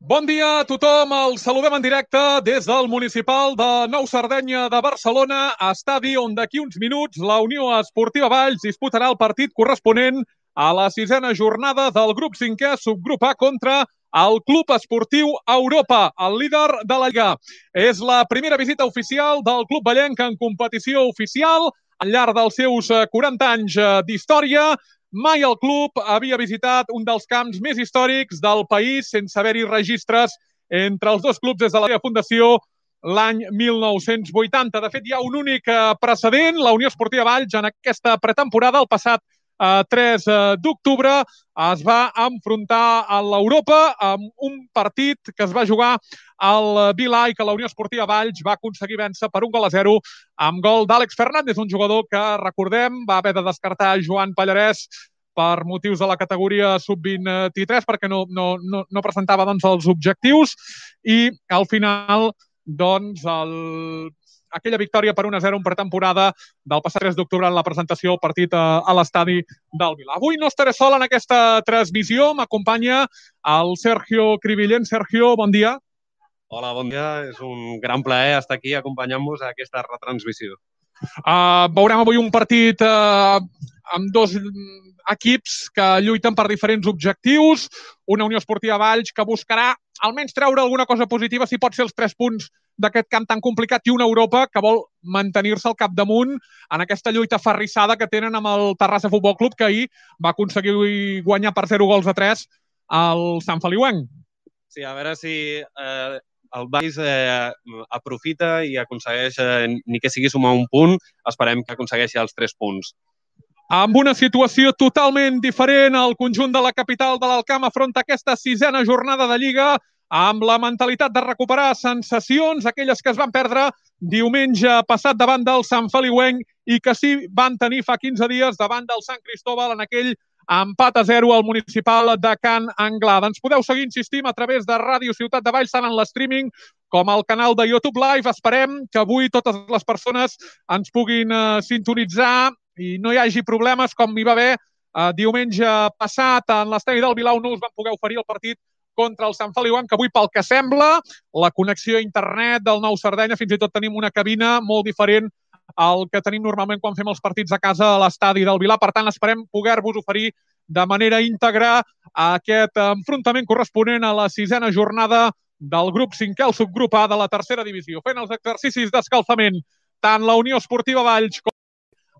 Bon dia a tothom, el saludem en directe des del Municipal de Nou Sardenya de Barcelona, estadi on d'aquí uns minuts la Unió Esportiva Valls disputarà el partit corresponent a la sisena jornada del grup 5è subgrup A contra el Club Esportiu Europa, el líder de la Lliga. És la primera visita oficial del club vallenc en competició oficial al llarg dels seus 40 anys d'història. Mai el club havia visitat un dels camps més històrics del país sense haver-hi registres entre els dos clubs des de la seva fundació l'any 1980. De fet, hi ha un únic precedent. La Unió Esportiva Valls en aquesta pretemporada, el passat 3 d'octubre, es va enfrontar a l'Europa amb un partit que es va jugar al Vilà i que la Unió Esportiva Valls va aconseguir vèncer per 1-0 amb gol d'Àlex Fernández, un jugador que, recordem, va haver de descartar Joan Pallarès per motius de la categoria sub-23 perquè no presentava els objectius i al final aquella victòria per 1-0 en pretemporada del passat 3 d'octubre en la presentació del partit a l'estadi del Vilà. Avui no estaré sol en aquesta transmissió, m'acompanya el Sergio Cribillén. Sergio, bon dia. Hola, bon dia. És un gran plaer estar aquí acompanyant-vos a aquesta retransmissió. Veurem avui un partit amb dos equips que lluiten per diferents objectius. Una Unió Esportiva Valls que buscarà almenys treure alguna cosa positiva, si pot ser els 3 punts d'aquest camp tan complicat, i una Europa que vol mantenir-se al capdamunt en aquesta lluita aferrissada que tenen amb el Terrassa Futbol Club, que ahir va aconseguir guanyar per 0-3 al Sant Feliuenc. Sí, a veure si el Valls aprofita i aconsegueix, ni que sigui sumar un punt, esperem que aconsegueixi els 3 punts. Amb una situació totalment diferent, el conjunt de la capital de l'Alcamp afronta aquesta 6a jornada de Lliga amb la mentalitat de recuperar sensacions, aquelles que es van perdre diumenge passat davant del Sant Feliuenc i que sí van tenir fa 15 dies davant del Sant Cristóbal en aquell empat a 0 al municipal de Can Anglada. Ens podeu seguir, insistim, a través de Ràdio Ciutat de Valls, tant en l'streaming com al canal de YouTube Live. Esperem que avui totes les persones ens puguin sintonitzar i no hi hagi problemes com hi va haver diumenge passat en l'estadi del Vilà, on no us van poder oferir el partit contra el Sant Feliuenc, que avui, pel que sembla, la connexió a internet del Nou Sardenya, fins i tot tenim una cabina molt diferent al que tenim normalment quan fem els partits a casa a l'estadi del Vilà. Per tant, esperem poder-vos oferir de manera íntegra aquest enfrontament corresponent a la 6a jornada del grup 5è, el subgrup A de la tercera divisió. Fent els exercicis d'escalfament tant la Unió Esportiva Valls com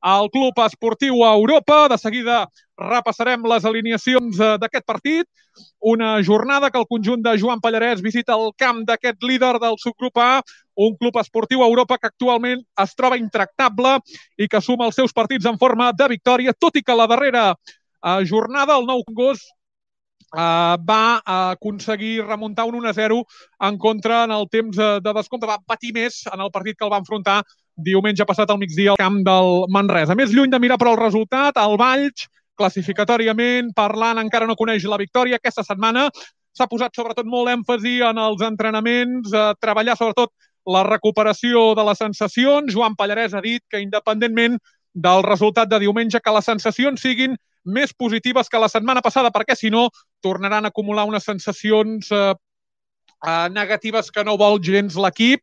el Club Esportiu Europa. De seguida repassarem les alineacions d'aquest partit. Una jornada que el conjunt de Joan Pallarès visita el camp d'aquest líder del subgrup A, un Club Esportiu Europa que actualment es troba intractable i que suma els seus partits en forma de victòria, tot i que la darrera jornada, el Nou Congost, va aconseguir remuntar un 1-0 en contra en el temps de descompte. Va patir més en el partit que el va enfrontar diumenge passat al migdia al camp del Manresa. Més lluny de mirar per al resultat, el Valls, classificatòriament parlant, encara no coneix la victòria. Aquesta setmana s'ha posat sobretot molt èmfasi en els entrenaments, treballar sobretot la recuperació de les sensacions. Joan Pallarès ha dit que, independentment del resultat de diumenge, que les sensacions siguin més positives que la setmana passada, perquè si no tornaran a acumular unes sensacions negatives que no vol gens l'equip.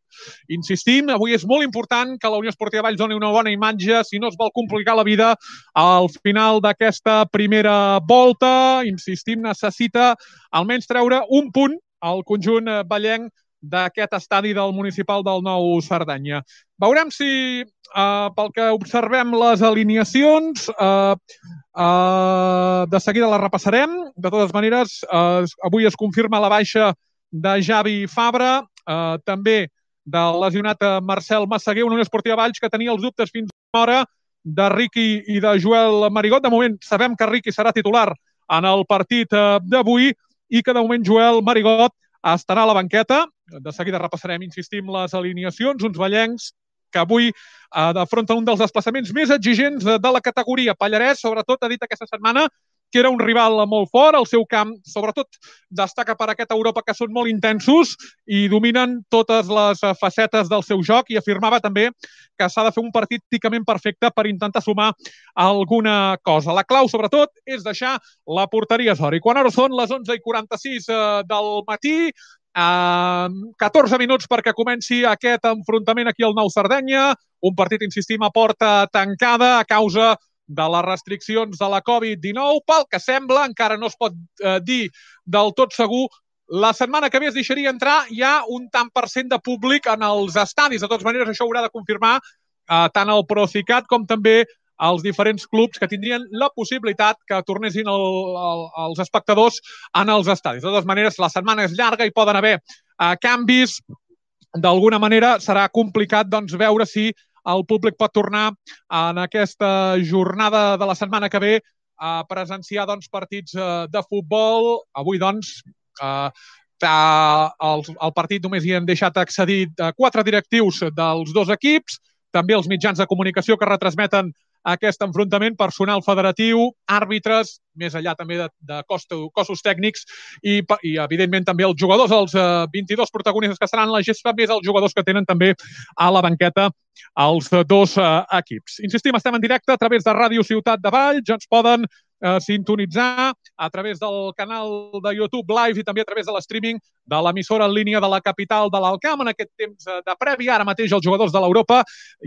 Insistim, avui és molt important que la Unió Esportiva Valls doni una bona imatge si no es vol complicar la vida al final d'aquesta primera volta. Insistim, necessita almenys treure un punt al conjunt vallenc d'aquest estadi del municipal del Nou Sardenya. Veurem si, pel que observem les alineacions, de seguida les repassarem. De totes maneres, avui es confirma la baixa de Javi Fabra, també del lesionat Marcel Massaguer, una Unió Esportiva Valls que tenia els dubtes fins a l'hora de Riqui i de Joel Marigot. De moment sabem que Riqui serà titular en el partit d'avui i que de moment Joel Marigot estarà a la banqueta. De seguida repassarem, insistim, les alineacions, uns vallencs que avui afronten un dels desplaçaments més exigents de la categoria. Pallarès, sobretot, ha dit aquesta setmana que era un rival molt fort, el seu camp sobretot destaca per aquesta Europa que són molt intensos i dominen totes les facetes del seu joc, i afirmava també que s'ha de fer un partit pràcticament perfecte per intentar sumar alguna cosa. La clau, sobretot, és deixar la porteria a zero. I quan ara són les 11:46 del matí, 14 minuts perquè comenci aquest enfrontament aquí al Nou Sardenya, un partit, insistim, a porta tancada a causa de les restriccions de la Covid-19. Pel que sembla, encara no es pot dir del tot segur, la setmana que ve es deixaria entrar ja un tant per cent de públic en els estadis. De totes maneres, això haurà de confirmar tant el Procicat com també els diferents clubs que tindrien la possibilitat que tornessin els espectadors en els estadis. De totes maneres, la setmana és llarga i poden haver canvis. D'alguna manera serà complicat veure si el públic pot tornar en aquesta jornada de la setmana que ve a presenciar partits de futbol. Avui, al partit només hi han deixat accedir 4 directius dels 2 equips, també els mitjans de comunicació que retransmeten aquest enfrontament, personal federatiu, àrbitres, més enllà també de cossos tècnics i evidentment, també els jugadors, els 22 protagonistes que seran la gespa, més els jugadors que tenen també a la banqueta els 2 equips. Insistim, estem en directe a través de Ràdio Ciutat de Valls, ja ens poden sintonitzar a través del canal de YouTube Live i també a través de l'streaming de l'emissora en línia de la capital de l'Alt Camp. En aquest temps de previ, ara mateix els jugadors de l'Europa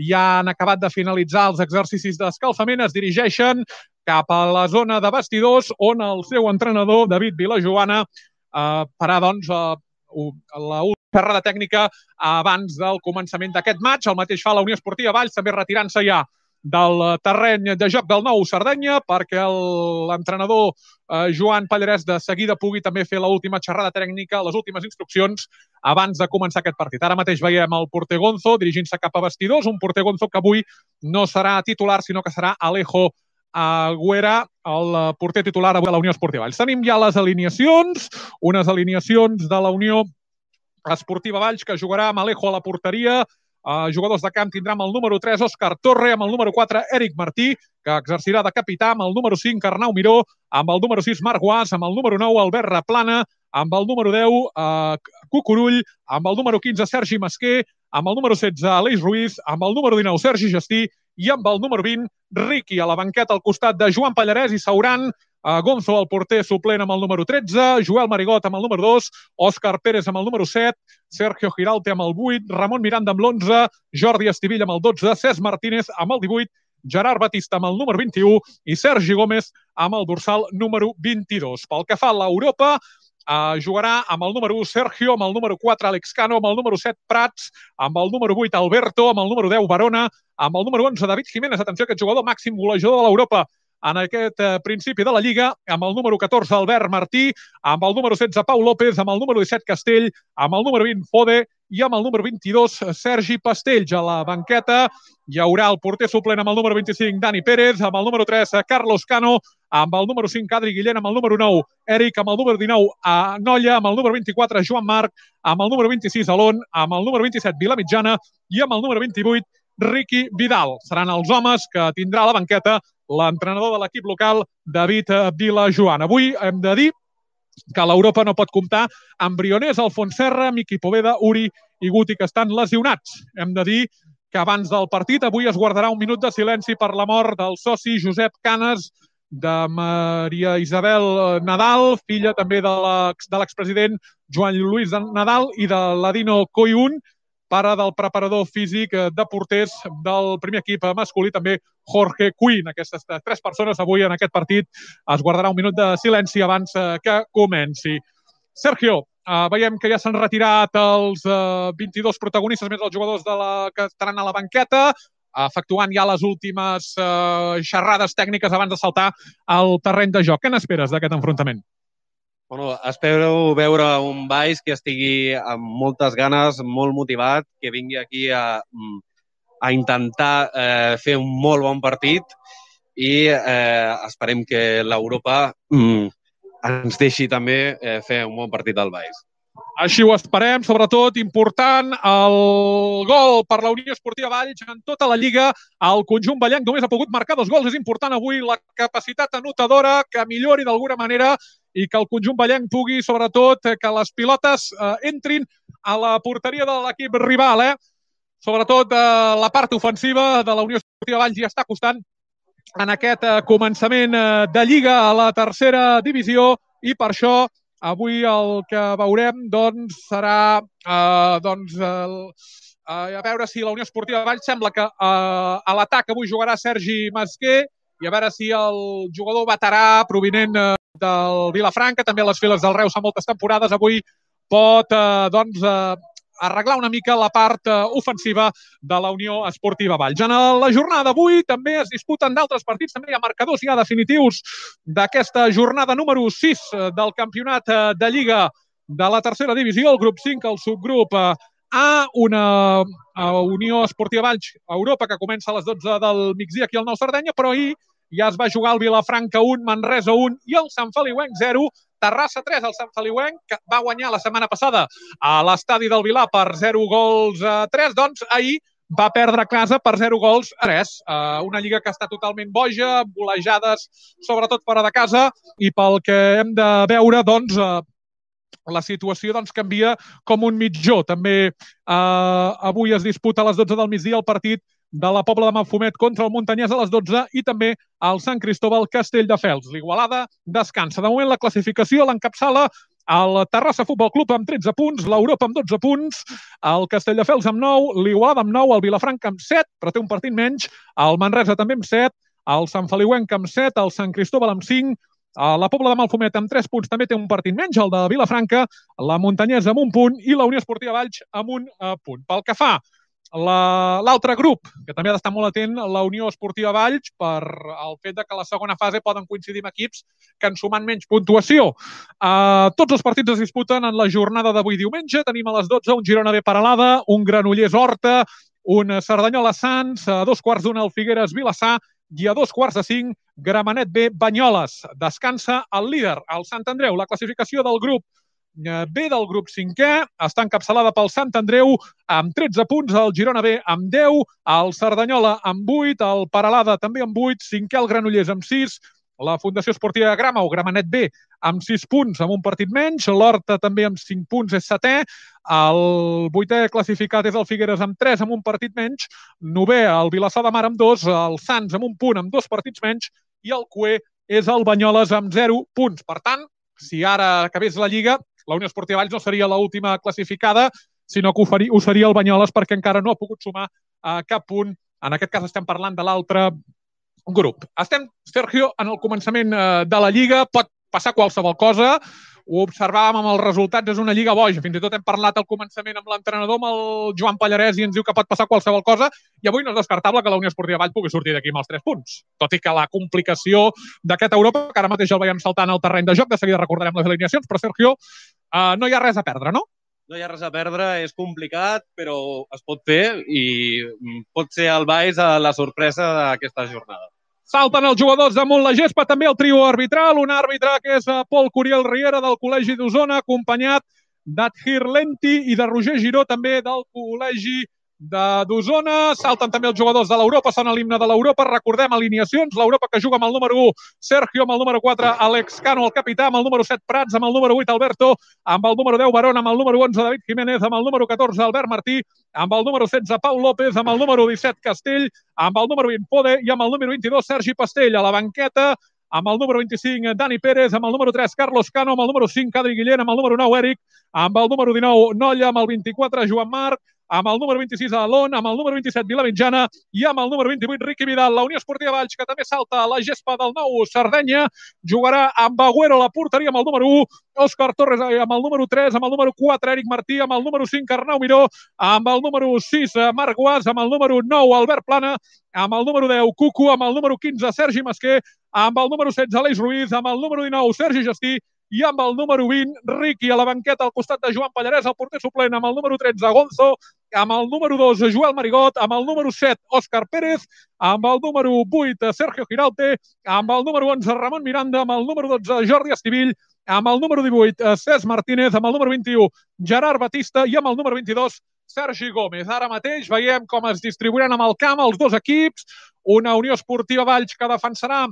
ja han acabat de finalitzar els exercicis d'escalfament, es dirigeixen cap a la zona de vestidors on el seu entrenador, David Vilajoana, farà la xerrada tècnica abans del començament d'aquest maig. El mateix fa la Unió Esportiva Valls, també retirant-se ja del terreny de joc del Nou Sardenya perquè l'entrenador Joan Pallarès de seguida pugui també fer l'última xerrada tècnica, les últimes instruccions abans de començar aquest partit. Ara mateix veiem el porter Gonzo dirigint-se cap a vestidors, un porter Gonzo que avui no serà titular, sinó que serà Alejo Agüera, el porter titular avui a la Unió Esportiva Valls. Tenim ja les alineacions, unes alineacions de la Unió Esportiva Valls que jugarà amb Alejo a la porteria. Jugadors de camp tindrà amb el número 3 Òscar Torre, amb el número 4 Eric Martí, que exercirà de capità, amb el número 5 Arnau Miró, amb el número 6 Marc Guàs, amb el número 9 Albert Replana, amb el número 10 Cucurull, amb el número 15 Sergi Masquer, amb el número 16 Aleix Ruiz, amb el número 19 Sergi Gestí i amb el número 20 Riqui a la banqueta al costat de Joan Pallarès i Sauran. Gonzo, el porter suplent, amb el número 13, Joel Marigot amb el número 2, Òscar Pérez amb el número 7, Sergio Giralte amb el 8, Ramon Miranda amb l'11, Jordi Estivill amb el 12, Cesc Martínez amb el 18, Gerard Batista amb el número 21 i Sergi Gómez amb el dorsal número 22. Pel que fa a l'Europa, jugarà amb el número 1 Sergio, amb el número 4 Alex Cano, amb el número 7 Prats, amb el número 8 Alberto, amb el número 10 Barona, amb el número 11 David Jiménez, atenció, aquest jugador màxim golejador de l'Europa en aquest principi de la Lliga, amb el número 14 Albert Martí, amb el número 16 Pau López, amb el número 17 Castell, amb el número 20 Fode i amb el número 22 Sergi Pastells. A la banqueta hi haurà el porter suplent amb el número 25 Dani Pérez, amb el número 3 Carlos Cano, amb el número 5 Adri Guillén, amb el número 9 Eric, amb el número 19 Nolla, amb el número 24 Joan Marc, amb el número 26 Alon, amb el número 27 Vilamitjana i amb el número 28 Riqui Vidal. Seran els homes que tindrà a la banqueta l'entrenador de l'equip local, David Vilajoana. Avui hem de dir que l'Europa no pot comptar amb Brionès, Alfons Serra, Miqui Poveda, Uri i Guti, que estan lesionats. Hem de dir que abans del partit avui es guardarà un minut de silenci per la mort del soci Josep Canes, de Maria Isabel Nadal, filla també de l'expresident Joan Lluís Nadal, i de l'Adino Coyun, pare del preparador físic de porters del primer equip masculí, també Jorge Quinn. Aquestes 3 persones avui en aquest partit es guardarà un minut de silenci abans que comenci. Sergio, veiem que ja s'han retirat els 22 protagonistes més els jugadors que estaran a la banqueta, efectuant ja les últimes xerrades tècniques abans de saltar al terreny de joc. Què n'esperes d'aquest enfrontament? Bueno, espero veure un Valls que estigui amb moltes ganes, molt motivat, que vingui aquí a intentar fer un molt bon partit i esperem que l'Europa ens deixi també fer un bon partit del Valls. Així ho esperem, sobretot important el gol per la Unió Esportiva Valls en tota la Lliga. El conjunt vallenc només ha pogut marcar 2 gols. És important avui la capacitat anotadora que millori d'alguna manera i que el conjunt vallenc pugui, sobretot, que les pilotes entrin a la porteria de l'equip rival. Sobretot la part ofensiva de la Unió Esportiva Valls ja està costant en aquest començament de Lliga a la tercera divisió i per això avui el que veurem serà a veure si la Unió Esportiva Valls sembla que a l'atac avui jugarà Sergi Masquer i a veure si el jugador veterà provinent del Vilafranca, també a les files del Reus fa moltes temporades, avui pot arreglar una mica la part ofensiva de la Unió Esportiva Valls. En la jornada d'avui també es disputen d'altres partits, també hi ha marcadors ja definitius d'aquesta jornada número 6 del campionat de Lliga de la tercera divisió, el grup 5, el subgrup A, una Unió Esportiva Valls Europa que comença a les 12 del migdia aquí al Nou Sardenya, però ahir ja es va jugar el Vilafranca 1, Manresa 1 i el Sant Feliuenc 0, Terrassa 3, el Sant Feliuenc, que va guanyar la setmana passada a l'estadi del Vilà per 0 gols a 3, doncs ahir va perdre a casa per 0 gols a 3. Una lliga que està totalment boja, golejades, sobretot fora de casa, i pel que hem de veure, la situació canvia com un mitjó. També avui es disputa a les 12 del migdia el partit de la Pobla de Mafumet contra el Montanyès a les 12 i també el Sant Cristóbal Castelldefels. L'Igualada descansa. De moment la classificació l'encapçala el Terrassa Futbol Club amb 13 punts, l'Europa amb 12 punts, el Castelldefels amb 9, l'Igualada amb 9, el Vilafranca amb 7, però té un partit menys, el Manresa també amb 7, el Sant Feliuenc amb 7, el Sant Cristóbal amb 5, la Pobla de Mafumet amb 3 punts també té un partit menys, el de Vilafranca, la Montanyesa amb 1 punt i la Unió Esportiva Valls amb 1 punt. Pel que fa l'altre grup, que també ha d'estar molt atent, la Unió Esportiva Valls, per el fet que a la segona fase poden coincidir amb equips que han sumat menys puntuació. Tots els partits es disputen en la jornada d'avui diumenge. Tenim a les 12 un Girona B Peralada, un Granollers Horta, un Cerdanyola Sants, a 2:15 el Figueres Vilassar i a 2:45 Gramenet B Banyoles. Descansa el líder, el Sant Andreu. La classificació del grup B del grup 5è està encapçalada pel Sant Andreu amb 13 punts, el Girona B amb 10, el Cerdanyola amb 8, el Peralada també amb 8, 5è el Granollers amb 6, la Fundació Esportiva Grama o Gramenet B amb 6 punts, amb un partit menys, l'Horta també amb 5 punts és 7è, el 8è classificat és el Figueres amb 3, amb un partit menys, 9è el Vilassar de Mar amb 2, el Sants amb 1 punt, amb 2 partits menys, i el cué és el Banyoles amb 0 punts. Per tant, si ara acabés la Lliga, la Unió Esportiva Valls no seria l'última classificada, sinó que ho seria el Banyoles perquè encara no ha pogut sumar cap punt. En aquest cas estem parlant de l'altre grup. Estem, Sergio, en el començament de la Lliga, pot passar qualsevol cosa, ho observàvem amb els resultats, és una lliga boja. Fins i tot hem parlat al començament amb l'entrenador, amb el Joan Pallarès, i ens diu que pot passar qualsevol cosa, i avui no és descartable que la Unió Esportiva Valls pugui sortir d'aquí amb els 3 punts. Tot i que la complicació d'aquest Europa, que ara mateix el veiem saltant al terreny de joc, de seguida recordarem les alineacions, però Sergio, no hi ha res a perdre, no? No hi ha res a perdre, és complicat, però es pot fer i pot ser el Valls la sorpresa d'aquesta jornada. Salten els jugadors damunt la gespa, també el trio arbitral, un àrbitre que és Pol Curiel Riera del Col·legi d'Osona, acompanyat d'Adhir Lenti i de Roger Giró, també del Col·legi d'Osona. Salten també els jugadors de l'Europa, sona l'himne de l'Europa. Recordem alineacions, l'Europa que juga amb el número 1, Sergio, amb el número 4, Alex Cano, el capità, amb el número 7, Prats, amb el número 8, Alberto, amb el número 10, Barón, amb el número 11, David Jiménez, amb el número 14, Albert Martí, amb el número 16, Pau López, amb el número 17, Castell, amb el número 20, Pode, i amb el número 22, Sergi Pastell. A la banqueta, amb el número 25, Dani Pérez, amb el número 3, Carlos Cano, amb el número 5, Adri Guillén, amb el número 9, Eric, amb el número 19, Nolla, amb el 24, Joan Marc, amb el número 26, Alon, amb el número 27, Vilamitjana, i amb el número 28, Riqui Vidal. La Unió Esportiva Valls, que també salta a la gespa del Nou Sardenya, jugarà amb Agüero a la porteria, amb el número 1, Òscar Torres, amb el número 3, amb el número 4, Eric Martí, amb el número 5, Arnau Miró, amb el número 6, Marc Guas, amb el número 9, Albert Plana, amb el número 10, Cucu, amb el número 15, Sergi Masquer, amb el número 16, Aleix Ruiz, amb el número 19, Sergi Gestí, i amb el número 20, Riqui. A la banqueta al costat de Joan Pallarès, el porter suplent, amb el número 13, Gonzo, amb el número 2, Joel Marigot, amb el número 7, Òscar Pérez, amb el número 8, Sergio Giralte, amb el número 11, Ramon Miranda, amb el número 12, Jordi Estivill, amb el número 18, Cesc Martínez, amb el número 21, Gerard Batista i amb el número 22, Sergi Gómez. Ara mateix veiem com es distribuiran amb el camp els dos equips, una Unió Esportiva Valls que defensarà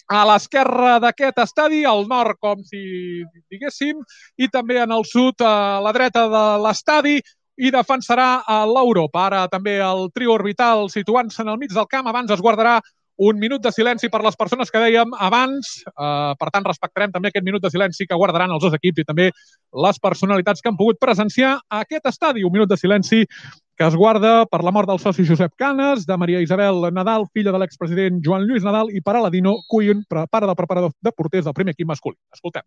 a l'esquerra d'aquest estadi, al nord, com si diguéssim, i també en el sud, a la dreta de l'estadi, i defensarà l'Europa. Ara també el trio orbital situant-se en el mig del camp. Abans es guardarà un minut de silenci per les persones que dèiem abans. Per tant, respectarem també aquest minut de silenci que guardaran els dos equips i també les personalitats que han pogut presenciar aquest estadi. Un minut de silenci que es guarda per la mort del soci Josep Canes, de Maria Isabel Nadal, filla de l'expresident Joan Lluís Nadal, i per Aladino Cuyun, pare del preparador de porters del primer equip masculí. Escoltem.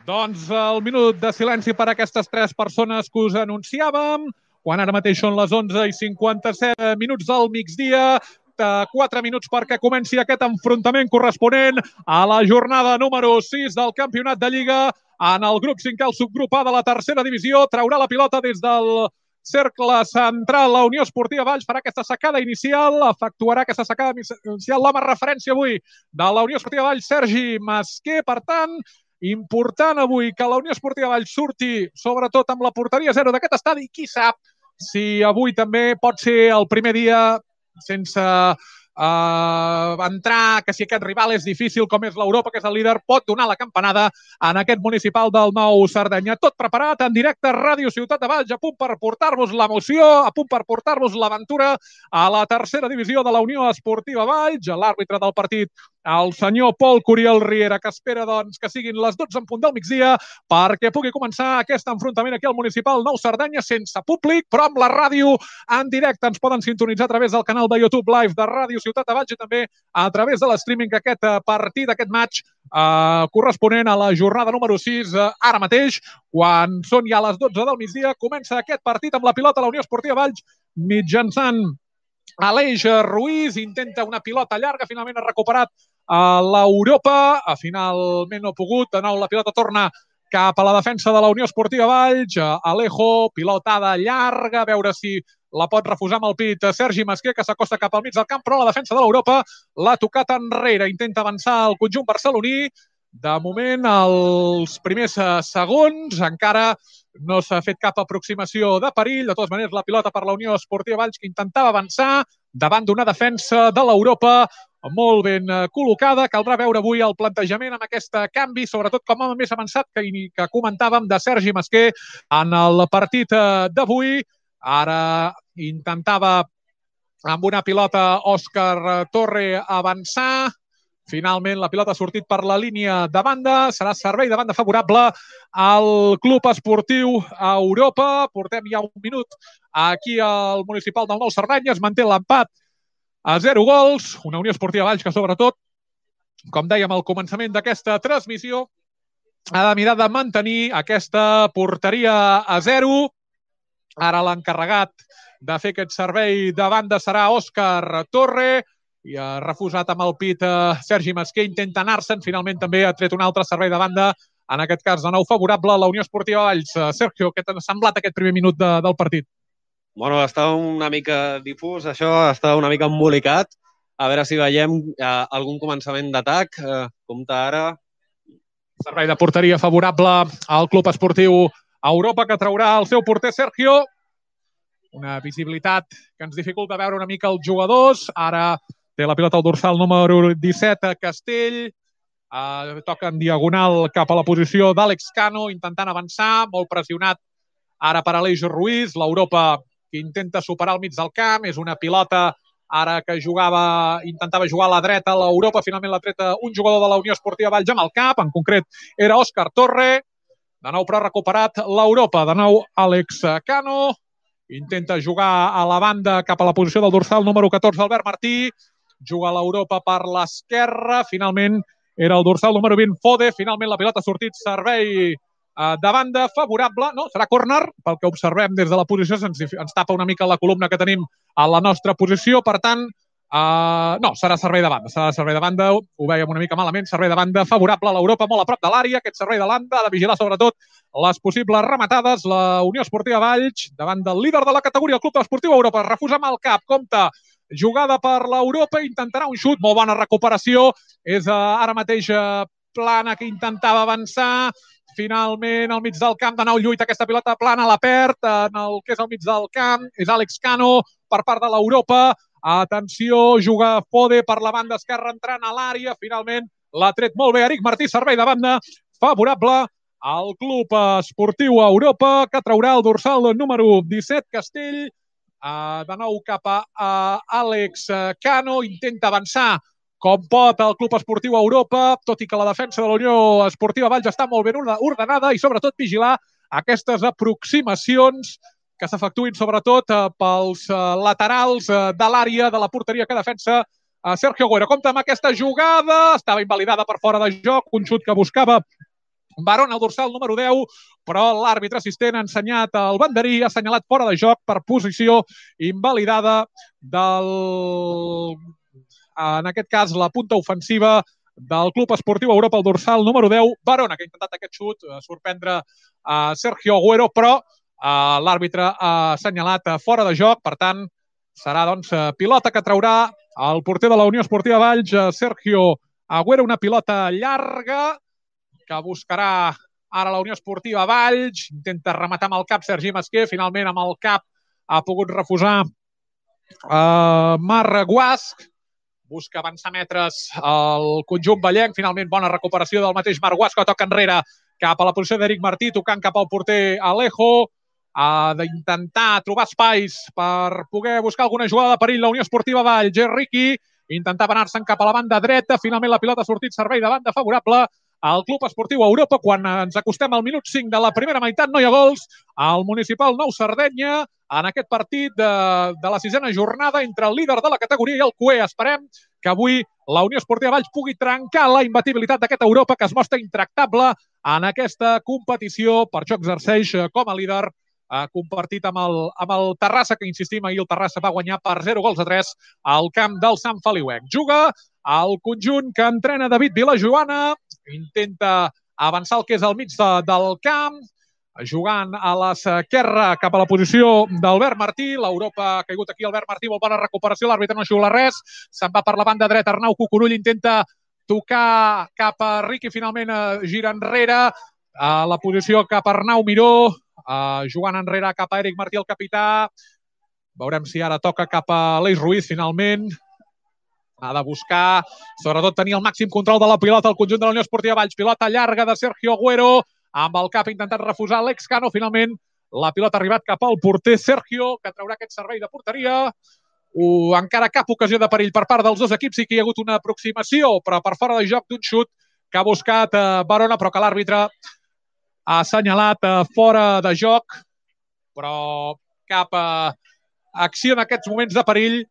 Doncs el minut de silenci per a aquestes tres persones que us anunciàvem, quan ara mateix són les 11:57 minuts del migdia, 4 minuts perquè comenci aquest enfrontament corresponent a la jornada número 6 del Campionat de Lliga. En el grup 5, el subgrup A de la tercera divisió, traurà la pilota des del cercle central la Unió Esportiva Valls, farà aquesta sacada inicial, efectuarà aquesta sacada inicial l'home referència avui de la Unió Esportiva Valls, Sergi Masquer. Per tant, important avui que la Unió Esportiva Valls surti sobretot amb la porteria 0 d'aquest estadi. Qui sap si avui també pot ser el primer dia sense entrar, que si aquest rival és difícil com és l'Europa, que és el líder, pot donar la campanada en aquest municipal del Nou Cerdanya. Tot preparat en directe a Ràdio Ciutat de Valls, a punt per portar-vos l'emoció, a punt per portar-vos l'aventura a la tercera divisió de la Unió Esportiva Valls. L'àrbitre del partit, el senyor Pol Curiel Riera, que espera doncs, que siguin les 12 en punt del migdia perquè pugui començar aquest enfrontament aquí al municipal Nou Cerdanya, sense públic, però amb la ràdio en directe. Ens poden sintonitzar a través del canal de YouTube Live de Ràdio Ciutat de Valls i també a través de l'streaming aquest partit, aquest match corresponent a la jornada número 6. Ara mateix, quan són ja les 12 del migdia, comença aquest partit amb la pilota a la Unió Esportiva Valls mitjançant Aleix Ruiz, intenta una pilota llarga, finalment ha recuperat l'Europa, finalment no ha pogut, de nou la pilota torna cap a la defensa de la Unió Esportiva Valls, Alejo, pilotada llarga, a veure si la pot refusar amb el pit Sergi Masquer, que s'acosta cap al mig del camp, però la defensa de l'Europa l'ha tocat enrere, intenta avançar el conjunt barceloní. De moment, els primers segons, encara no s'ha fet cap aproximació de perill. De totes maneres, la pilota per la Unió Esportiva Valls, que intentava avançar davant d'una defensa de l'Europa molt ben col·locada. Caldrà veure avui el plantejament amb aquest canvi, sobretot com a més avançat que comentàvem de Sergi Masquer en el partit d'avui. Ara intentava amb una pilota Òscar Torre avançar. Finalment, la pilota ha sortit per la línia de banda. Serà servei de banda favorable al Club Esportiu Europa. Portem ja un minut aquí al municipal del Nou Cerdanya. Es manté l'empat a 0 gols. Una Unió Esportiva Valls que, sobretot, com dèiem al començament d'aquesta transmissió, ha de mirar de mantenir aquesta porteria a 0. Ara l'encarregat de fer aquest servei de banda serà Òscar Torre, i ha refusat amb el pit Sergi Masquer, intenta anar-se'n, finalment també ha tret un altre servei de banda, en aquest cas de nou favorable a la Unió Esportiva Valls. Sergio, què t'ha semblat aquest primer minut del partit? Bueno, està una mica difús, això està una mica embolicat. A veure si veiem algun començament d'atac. Compte ara. Servei de porteria favorable al Club Esportiu Europa, que traurà el seu porter Sergio. Una visibilitat que ens dificulta veure una mica els jugadors. Ara té la pilota al dorsal número 17, Castell. Toca en diagonal cap a la posició d'Àlex Cano, intentant avançar, molt pressionat ara per Aleix Ruiz. L'Europa que intenta superar al mig del camp, és una pilota ara que intentava jugar a la dreta l'Europa, finalment l'ha tret un jugador de la Unió Esportiva Valls amb el cap, en concret era Òscar Torre. De nou però ha recuperat l'Europa, de nou Àlex Cano, intenta jugar a la banda cap a la posició del dorsal número 14, Albert Martí, juga l'Europa per l'esquerra, finalment era el dorsal número 20, Fode, finalment la pilota ha sortit, servei de banda favorable, no, serà córner, pel que observem des de la posició, ens tapa una mica la columna que tenim a la nostra posició, per tant, no, serà servei de banda, ho veiem una mica malament, servei de banda favorable a l'Europa, molt a prop de l'àrea, aquest servei de banda, ha de vigilar sobretot les possibles rematades, la Unió Esportiva Valls, davant del líder de la categoria, el Club Esportiu Europa, refusa amb el cap, compta, jugada per l'Europa, intentarà un xut, molt bona recuperació, és ara mateix Plana que intentava avançar, finalment al mig del camp, de nou lluita aquesta pilota plana, la perd en el que és al mig del camp, és Àlex Cano per part de l'Europa, atenció, juga Fode per la banda esquerra entrant a l'àrea, finalment l'ha tret molt bé Eric Martí, servei de banda favorable al Club Esportiu Europa, que traurà el dorsal número 17, Castell, de nou cap a Àlex Cano, intenta avançar com pot el Club Esportiu Europa, tot i que la defensa de la Unió Esportiva Valls està molt ben ordenada i sobretot vigilar aquestes aproximacions que s'efectuïn sobretot pels laterals de l'àrea de la porteria que defensa Sergio Agüero. Compte amb aquesta jugada, estava invalidada per fora de joc, un xut que buscava Barón al dorsal número 10, però l'àrbitre assistent ha ensenyat el banderí, ha assenyalat fora de joc per posició invalidada en aquest cas, la punta ofensiva del Club Esportiu Europa, el dorsal número 10, Barona, que ha intentat aquest xut sorprendre Sergio Agüero, però l'àrbitre ha assenyalat fora de joc, per tant, serà pilota que traurà el porter de la Unió Esportiva Valls, Sergio Agüero, una pilota llarga que buscarà ara la Unió Esportiva Valls, intenta rematar amb el cap Sergi Masquer, finalment amb el cap ha pogut refusar Marc Guasc, busca avançar metres el conjunt vallenc, finalment bona recuperació del mateix Marc Guasc, que toca enrere cap a la posició d'Eric Martí, tocant cap al porter Alejo, ha d'intentar trobar espais per poder buscar alguna jugada de perill la Unió Esportiva Valls, Riqui, intentava anar-se'n cap a la banda dreta, finalment la pilota ha sortit servei de banda favorable al Club Esportiu Europa. Quan ens acostem al minut 5 de la primera meitat, no hi ha gols al Municipal Nou Sardenya en aquest partit de la sisena jornada entre el líder de la categoria i el CUE. Esperem que avui la Unió Esportiva Valls pugui trencar la imbatibilitat d'aquesta Europa que es mostra intractable en aquesta competició, per això exerceix com a líder compartit amb el Terrassa, que insistim, ahir el Terrassa va guanyar per 0-3 al camp del Sant Feliuenc. Juga el conjunt que entrena David Vilajoana, intenta avançar el que és al mig del camp, jugant a l'esquerra cap a la posició d'Albert Martí. L'Europa ha caigut aquí, Albert Martí, molt bona recuperació, l'àrbitre no xiula res, se'n va per la banda dreta, Arnau Cucurull intenta tocar cap a Riqui, finalment gira enrere, a la posició cap a Arnau Miró, jugant enrere cap a Eric Martí, el capità. Veurem si ara toca cap a Aleix Ruiz, finalment. Ha de buscar, sobretot, tenir el màxim control de la pilota al conjunt de la Unió Esportiva Valls. Pilota llarga de Sergio Agüero, amb el cap ha intentat refusar Àlex Cano. Finalment, la pilota ha arribat cap al porter Sergio, que traurà aquest servei de porteria. Encara cap ocasió de perill per part dels dos equips. Sí que hi ha hagut una aproximació, però per fora de joc d'un xut que ha buscat Barona, però que l'àrbitre ha assenyalat fora de joc, però cap acció en aquests moments de perill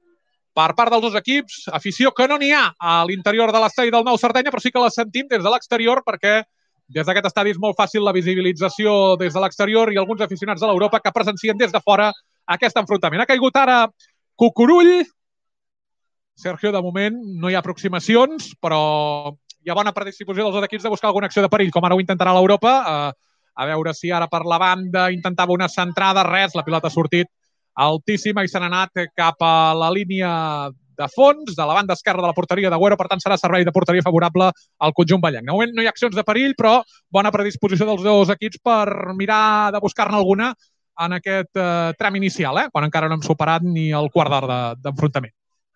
per part dels dos equips. Afició que no n'hi ha a l'interior de l'estadi del Nou Sardenya, però sí que la sentim des de l'exterior, perquè des d'aquest estadi és molt fàcil la visibilització des de l'exterior i alguns aficionats de l'Europa que presencien des de fora aquest enfrontament. Ha caigut ara Cucurull. Sergio, de moment, no hi ha aproximacions, però hi ha bona predisposició dels dos equips de buscar alguna acció de perill, com ara ho intentarà l'Europa. A veure si ara per la banda intentava una centrada, res, la pilota ha sortit altíssima i se n'ha anat cap a la línia de fons, de la banda esquerra de la porteria d'Agüero, per tant serà servei de porteria favorable al conjunt vallenc. De moment no hi ha accions de perill, però bona predisposició dels dos equips per mirar de buscar-ne alguna en aquest tram inicial, quan encara no hem superat ni el quart d'hora d'enfrontament.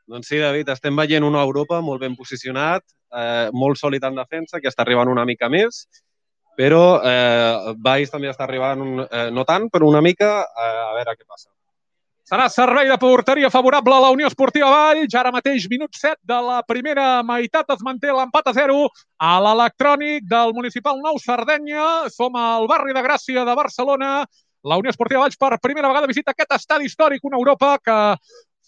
Doncs sí, David, estem veient una Europa molt ben posicionat, molt sòlid en defensa, que està arribant una mica més, però Valls també està arribant, no tant, però una mica, a veure què passa. Serà servei de porteria favorable a la Unió Esportiva Valls. Ara mateix, minut 7 de la primera meitat, es manté l'empat a 0 a l'Electrònic del Municipal Nou Sardenya. Som al barri de Gràcia de Barcelona. La Unió Esportiva Valls per primera vegada visita aquest estadi històric, una Europa que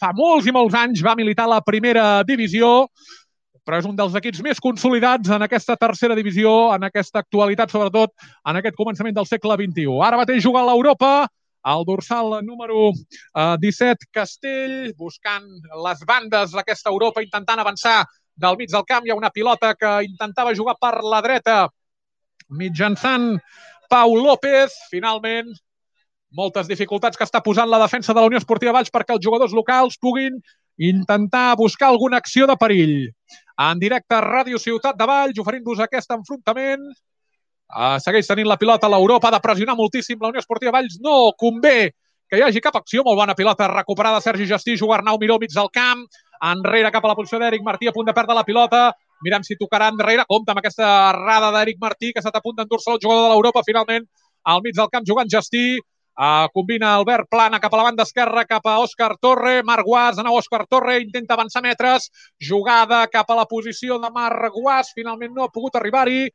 fa molts i molts anys va militar a la primera divisió, però és un dels equips més consolidats en aquesta tercera divisió, en aquesta actualitat, sobretot en aquest començament del segle XXI. Ara mateix juga a l'Europa, el dorsal número 17, Castell, buscant les bandes d'aquesta Europa, intentant avançar del mig del camp. Hi ha una pilota que intentava jugar per la dreta mitjançant Pau López. Finalment, moltes dificultats que està posant la defensa de la Unió Esportiva Valls perquè els jugadors locals puguin intentar buscar alguna acció de perill. En directe a Ràdio Ciutat de Valls, oferint-vos aquest enfrontament. Segueix tenint la pilota a l'Europa, ha de pressionar moltíssim la Unió Esportiva Valls. No convé que hi hagi cap acció. Molt bona pilota recuperada Sergi Gestí, juga Arnau Miró mig del camp, enrere cap a la posició d'Eric Martí, a punt de perdre la pilota. Mirem si tocarà enrere. Compte amb aquesta errada d'Eric Martí, que s'ha a punt d'endur-se el jugador de l'Europa, finalment al mig del camp jugant Gestí. Combina Albert Plana cap a la banda esquerra, cap a Òscar Torre. Marc Guas, de nou Òscar Torre, intenta avançar metres. Jugada cap a la posició de Marc Guas, finalment no ha pogut arribar-hi.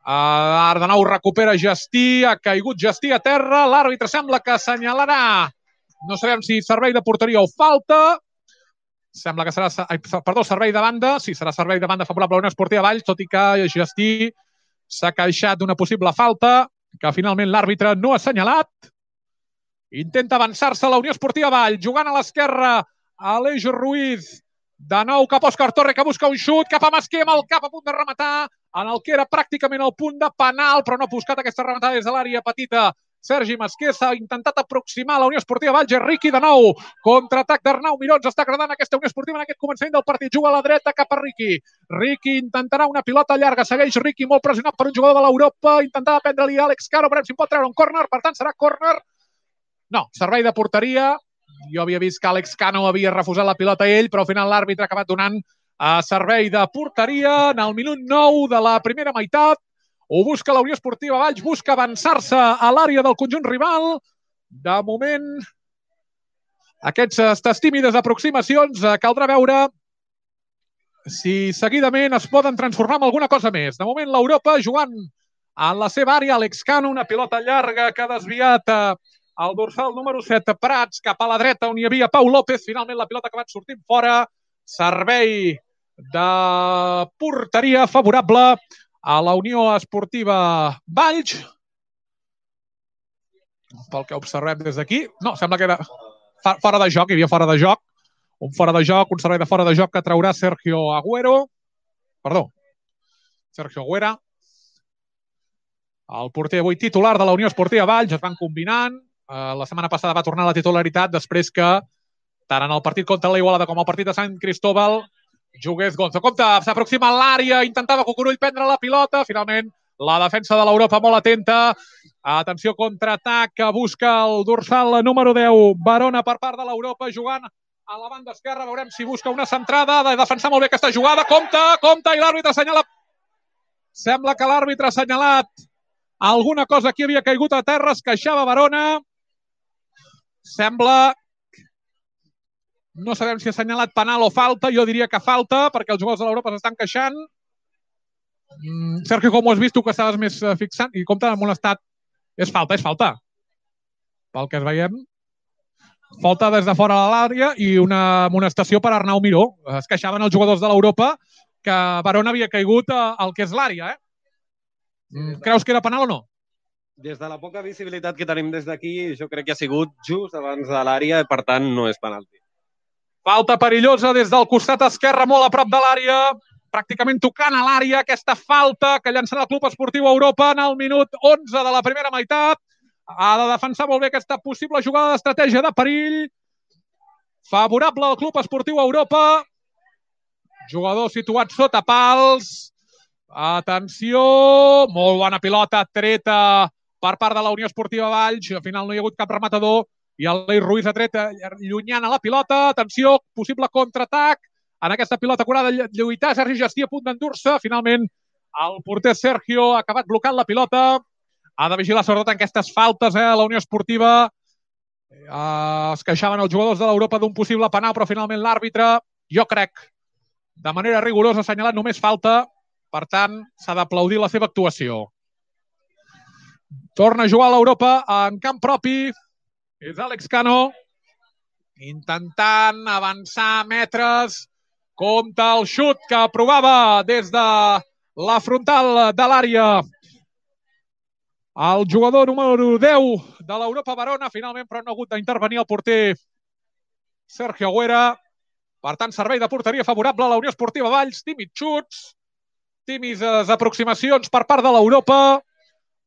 Ara de nou recupera Gestí, ha caigut Gestí a terra, l'àrbitre sembla que assenyalarà, no sabem si servei de porteria o falta, sembla que serà, servei de banda, sí, serà servei de banda favorable a la Unió Esportiva Valls, tot i que Gestí s'ha queixat d'una possible falta, que finalment l'àrbitre no ha assenyalat. Intenta avançar-se la Unió Esportiva Valls, jugant a l'esquerra Aleix Ruiz, de nou cap a Òscar Torre, que busca un xut, cap a Masquer amb el cap a punt de rematar, en el que era pràcticament el punt de penal, però no ha buscat aquesta rematada des de l'àrea petita. Sergi Masquer s'ha intentat aproximar a la Unió Esportiva Valls. Riqui de nou, contraatac d'Arnau Miró. Ens està agradant aquesta Unió Esportiva en aquest començament del partit. Juga a la dreta cap a Riqui. Riqui intentarà una pilota llarga. Segueix Riqui molt pressionat per un jugador de l'Europa. Intentava prendre-li Àlex Caro. Veurem si en pot treure un córner. Per tant, serà córner. No, servei de porteria. Jo havia vist que Àlex Cano havia refusat la pilota a ell, però al final l'àrbitre ha acabat donant servei de porteria en el minut 9 de la primera meitat. Ho busca la Unió Esportiva Valls, busca avançar-se a l'àrea del conjunt rival. De moment, aquestes tímides aproximacions caldrà veure si seguidament es poden transformar en alguna cosa més. De moment, l'Europa jugant en la seva àrea. Àlex Cano, una pilota llarga que ha desviat el dorsal número 7, Prats, cap a la dreta, on hi havia Pau López. Finalment, la pilota ha acabat sortint fora. Servei de porteria favorable a la Unió Esportiva Valls. Pel que observem des d'aquí. No, sembla que era fora de joc, hi havia fora de joc. Un fora de joc, un servei de fora de joc que traurà Sergio Agüero. Perdó, Sergio Agüera. El porter avui titular de la Unió Esportiva Valls. Es van combinant. La setmana passada va tornar a la titularitat després que tant en el partit contra l'Igualada com el partit de Sant Cristóbal jugués Gonzo. Compte, s'aproxima a l'àrea, intentava Cucurull prendre la pilota, finalment la defensa de l'Europa molt atenta. Atenció, contraatac que busca el dorsal número 10, Barona per part de l'Europa, jugant a la banda esquerra. Veurem si busca una centrada, ha de defensar molt bé aquesta jugada. Compte, i l'àrbitre assenyala. Sembla que l'àrbitre ha assenyalat alguna cosa que havia caigut a terra, es queixava Barona. Sembla... No sabem si ha assenyalat penal o falta. Jo diria que falta, perquè els jugadors de l'Europa s'estan queixant. Sergio, com ho has vist, tu que estaves més fixant, i compte amb un estat... És falta. Pel que es veiem. Falta des de fora de l'àrea i una amonestació per Arnau Miró. Es queixaven els jugadors de l'Europa que Barona havia caigut al que és l'àrea. Creus que era penal o no? Des de la poca visibilitat que tenim des d'aquí, jo crec que ha sigut just abans de l'àrea i, per tant, no és penalti. Falta perillosa des del costat esquerre, molt a prop de l'àrea, pràcticament tocant a l'àrea, aquesta falta que llançarà el Club Esportiu Europa en el minut 11 de la primera meitat. Ha de defensar molt bé aquesta possible jugada d'estratègia de perill. Favorable al Club Esportiu Europa. Jugador situat sota pals. Atenció, molt bona pilota treta per part de la Unió Esportiva Valls. Al final no hi ha hagut cap rematador i el Lei Ruiz ha tret llunyant a la pilota. Atenció, possible contraatac. En aquesta pilota curada lluitar Sergi Gestí a punt d'endur-se. Finalment, el porter Sergio ha acabat blocant la pilota. Ha de vigilar sobretot en aquestes faltes, la Unió Esportiva. Es queixaven els jugadors de l'Europa d'un possible penal, però finalment l'àrbitre, jo crec, de manera rigorosa, ha assenyalat només falta. Per tant, s'ha d'aplaudir la seva actuació. Torna a jugar a l'Europa en camp propi. És Àlex Cano, intentant avançar metres. Compte el xut que provava des de la frontal de l'àrea el jugador número 10 de l'Europa Verona. Finalment, però no ha hagut d'intervenir el porter Sergio Agüera. Per tant, servei de porteria favorable a la Unió Esportiva Valls. Tímids xuts, tímides aproximacions per part de l'Europa,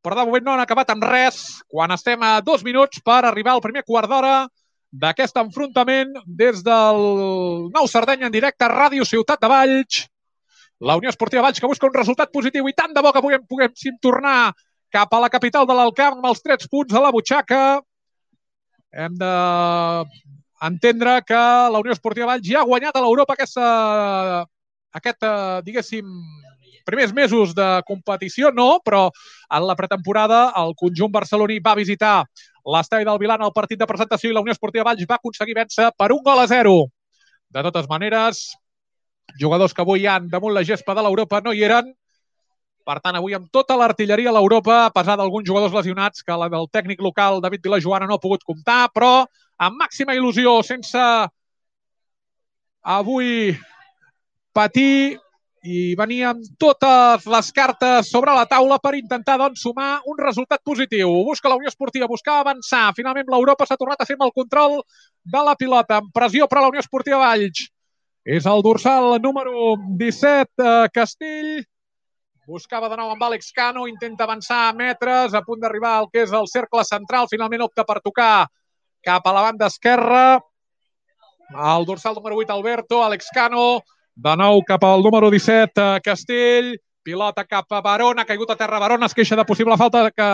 però de moment no han acabat amb res quan estem a 2 minuts per arribar al primer quart d'hora d'aquest enfrontament des del Nou Sardenya en directe a Ràdio Ciutat de Valls. La Unió Esportiva Valls que busca un resultat positiu i tant de bo que puguem tornar cap a la capital de l'Alcamp amb els 3 punts a la butxaca. Hem d'entendre que la Unió Esportiva Valls ja ha guanyat a l'Europa aquest, diguéssim, primers mesos de competició, no, però en la pretemporada el conjunt barceloní va visitar l'estadi del Vilan al partit de presentació i la Unió Esportiva Valls va aconseguir vèncer per 1-0. De totes maneres, jugadors que avui hi han damunt la gespa de l'Europa no hi eren. Per tant, avui amb tota l'artilleria a l'Europa, a pesar d'alguns jugadors lesionats, que la del tècnic local David Vilajoana no ha pogut comptar, però amb màxima il·lusió, sense avui patir i venir amb totes les cartes sobre la taula per intentar doncs, sumar un resultat positiu. Busca la Unió Esportiva, busca avançar. Finalment l'Europa s'ha tornat a fer amb el control de la pilota. Amb pressió per a la Unió Esportiva Valls. És el dorsal número 17, Castell. Buscava de nou amb Àlex Cano, intenta avançar a metres, a punt d'arribar al que és el cercle central. Finalment opta per tocar cap a la banda esquerra. El dorsal número 8, Alberto, Àlex Cano. De nou cap al número 17, Castell. Pilota cap a Barona, ha caigut a terra Barona, es queixa de possible falta que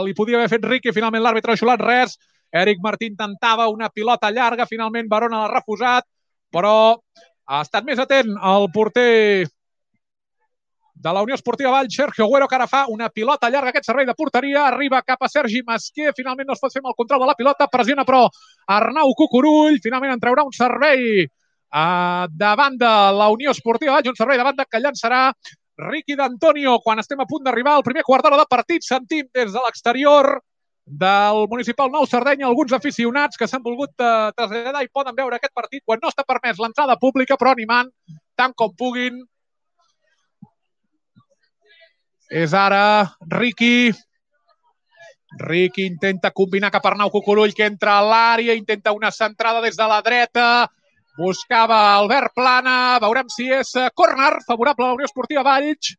li podia haver fet Riqui. Finalment l'àrbitre ha xulat res. Eric Martí intentava una pilota llarga, finalment Barona l'ha refusat, però ha estat més atent el porter de la Unió Esportiva Valls, Sergio Agüero, que ara fa una pilota llarga, aquest servei de porteria, arriba cap a Sergi Masquer, finalment no es pot fer amb el control de la pilota, pressiona però Arnau Cucurull, finalment en traurà un servei davant de la Unió Esportiva Valls, un servei de banda que llançarà Riqui d'Antonio quan estem a punt d'arribar al primer quart d'hora de partit. Sentim des de l'exterior del municipal Nou Sardenya alguns aficionats que s'han volgut traslladar i poden veure aquest partit quan no està permès l'entrada pública, però animant tant com puguin. És ara Riqui. Riqui intenta combinar cap a Arnau Cucurull, que entra a l'àrea, intenta una centrada des de la dreta. Buscava Albert Plana. Veurem si és córner favorable a la Unió Esportiva Valls.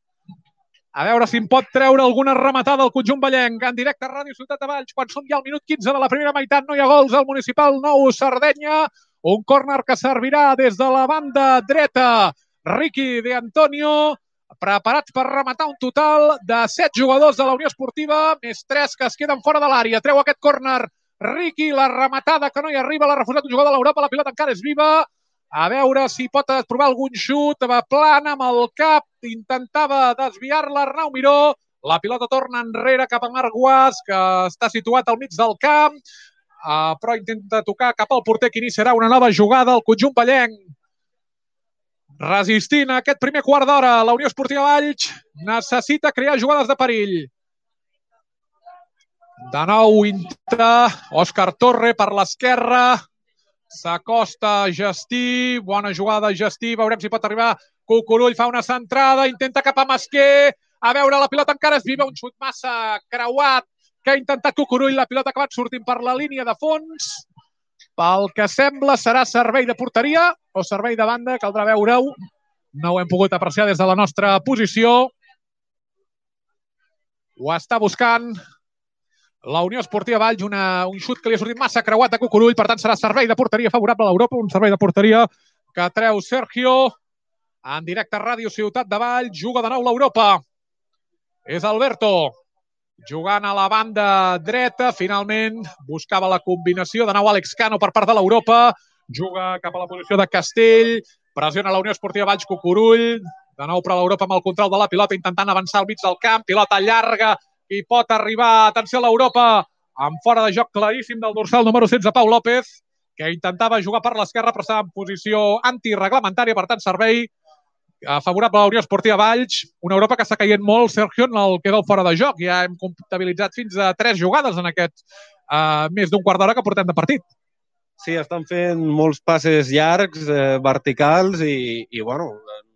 A veure si en pot treure alguna rematada al conjunt vallenc. En directe a Ràdio Ciutat de Valls, quan som ja al minut 15 de la primera meitat. No hi ha gols al municipal Nou Sardenya. Un córner que servirà des de la banda dreta. Riqui d'Antonio, preparats per rematar un total de 7 jugadors de la Unió Esportiva, més 3 que es queden fora de l'àrea. Treu aquest córner Riqui, la rematada que no hi arriba, l'ha refusat un jugador de l'Europa, la pilota encara és viva. A veure si pot provar algun xut, va plana amb el cap, intentava desviar-la Arnau Miró. La pilota torna enrere cap a Marc Guas, que està situat al mig del camp, però intenta tocar cap al porter, que iniciarà una nova jugada al conjunt vallenc. Resistint a aquest primer quart d'hora, la Unió Esportiva Valls necessita crear jugades de perill. De nou intenta Òscar Torre per l'esquerra. S'acosta Gestí. Bona jugada Gestí. Veurem si pot arribar Cucurull. Fa una centrada. Intenta cap a Masquer. A veure, la pilota encara és viva. Un xut massa creuat que ha intentat Cucurull. La pilota ha acabat sortint per la línia de fons. Pel que sembla serà servei de porteria o servei de banda. Caldrà veure-ho. No ho hem pogut apreciar des de la nostra posició. Ho està buscant la Unió Esportiva Valls, un xut que li ha sortit massa creuat a Cucurull, per tant serà servei de porteria favorable a l'Europa, un servei de porteria que treu Sergio. En directe a Ràdio Ciutat de Valls, juga de nou l'Europa. És Alberto. jugant a la banda dreta, finalment buscava la combinació, de nou Àlex Cano per part de l'Europa, juga cap a la posició de Castell, pressiona la Unió Esportiva Valls Cucurull, de nou per l'Europa amb el control de la pilota, intentant avançar al mig del camp, pilota llarga, i pot arribar, atenció a l'Europa, amb fora de joc claríssim del dorsal número 16, Pau López, que intentava jugar per l'esquerra, però estava en posició antireglamentària, per tant, servei favorable a la Unió Esportiva Valls, una Europa que està caient molt, Sergio, en el que queda el fora de joc. Ja hem comptabilitzat fins a 3 jugades en aquest més d'un quart d'hora que portem de partit. Sí, estan fent molts passes llargs, verticals i bueno,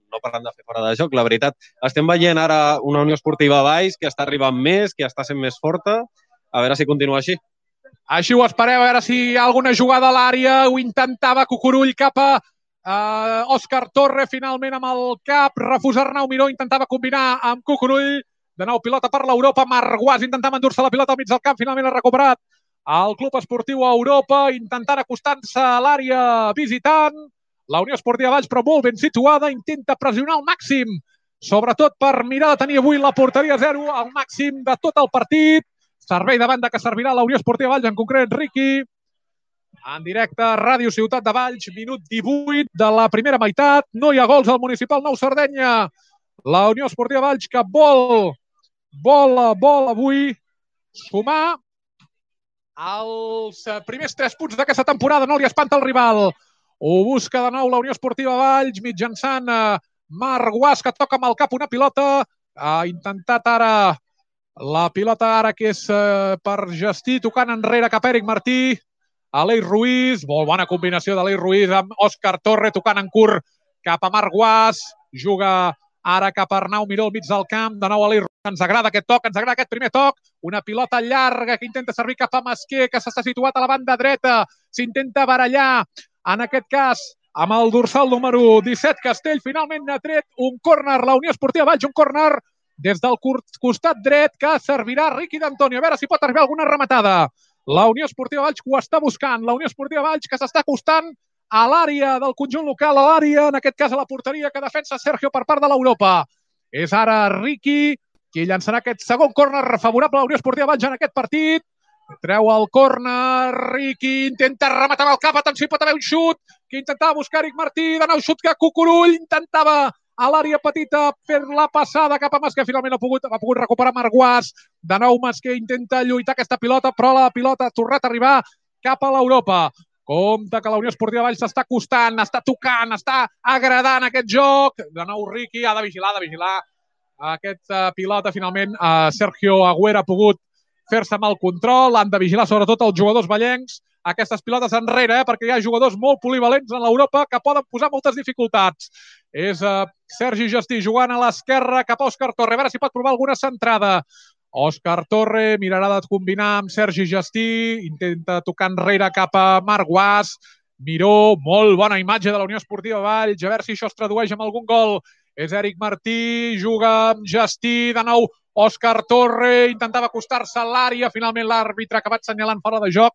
no parlant de fer fora de joc. La veritat, estem veient ara una Unió Esportiva Valls que està arribant més, que està sent més forta. A veure si continua així. Així ho esperem, a veure si hi ha alguna jugada a l'àrea. Ho intentava Cucurull cap a Òscar Torre, finalment amb el cap. Refusa Arnau Miró, intentava combinar amb Cucurull. De nou pilota per l'Europa. Marc Guas intentava endur-se la pilota al mig del camp. Finalment ha recuperat el Club Esportiu Europa, intentant acostar-se a l'àrea visitant. La Unió Esportiva Valls, però molt ben situada, intenta pressionar al màxim, sobretot per mirar de tenir avui la porteria 0 al màxim de tot el partit. Servei de banda que servirà la Unió Esportiva Valls, en concret Riqui. En directe, Ràdio Ciutat de Valls, minut 18 de la primera meitat. No hi ha gols al Municipal Nou Sardenya. La Unió Esportiva Valls que vol avui sumar els primers 3 punts d'aquesta temporada. No li espanta el rival. Ho busca de nou la Unió Esportiva Valls mitjançant Marc Guas, que toca amb el cap una pilota. Ha intentat ara la pilota que és per Gestí, tocant enrere cap a Eric Martí. Aleix Ruiz, molt bona combinació d'Aleix Ruiz amb Òscar Torre, tocant en curt cap a Marc Guas. Juga ara cap a Arnau Miró al mig del camp. De nou Aleix Ruiz. Ens agrada aquest toc, ens agrada aquest primer toc. Una pilota llarga que intenta servir cap a Masquer, que s'està situat a la banda dreta. S'intenta barallar, en aquest cas, amb el dorsal número 17, Castell. Finalment ha tret un córner, la Unió Esportiva Valls, un córner des del costat dret que servirà Riqui d'Antonio. A veure si pot arribar alguna rematada. La Unió Esportiva Valls que ho està buscant. La Unió Esportiva Valls que s'està acostant a l'àrea del conjunt local, a l'àrea, en aquest cas a la porteria que defensa Sergio per part de l'Europa. És ara Riqui qui llançarà aquest segon córner favorable a la Unió Esportiva Valls en aquest partit. Treu el córner, Riqui intenta rematar amb el cap, atenció, hi pot haver un xut que intentava buscar Eric Martí, de nou xut que Cucurull intentava a l'àrea petita fer la passada cap a Masquer, finalment ha pogut recuperar Marc Guas. De nou Masquer intenta lluitar aquesta pilota, però la pilota ha tornat a arribar cap a l'Europa. Compte que la Unió Esportiva Valls s'està acostant, està tocant, està agradant aquest joc. De nou Riqui ha de vigilar aquesta pilota. Finalment Sergio Agüera ha pogut fer-se amb el control. Han de vigilar sobretot els jugadors vallencs aquestes pilotes enrere, perquè hi ha jugadors molt polivalents en l'Europa que poden posar moltes dificultats. És Sergi Gestí jugant a l'esquerra cap a Òscar Torre. A veure si pot provar alguna centrada. Òscar Torre mirarà de combinar amb Sergi Gestí. Intenta tocar enrere cap a Marc Guas. Miró, molt bona imatge de la Unió Esportiva Valls. A veure si això es tradueix en algun gol. És Eric Martí, juga amb Gestí, de nou Òscar Torre, intentava acostar-se a l'àrea, finalment l'àrbitre ha acabat assenyalant fora de joc,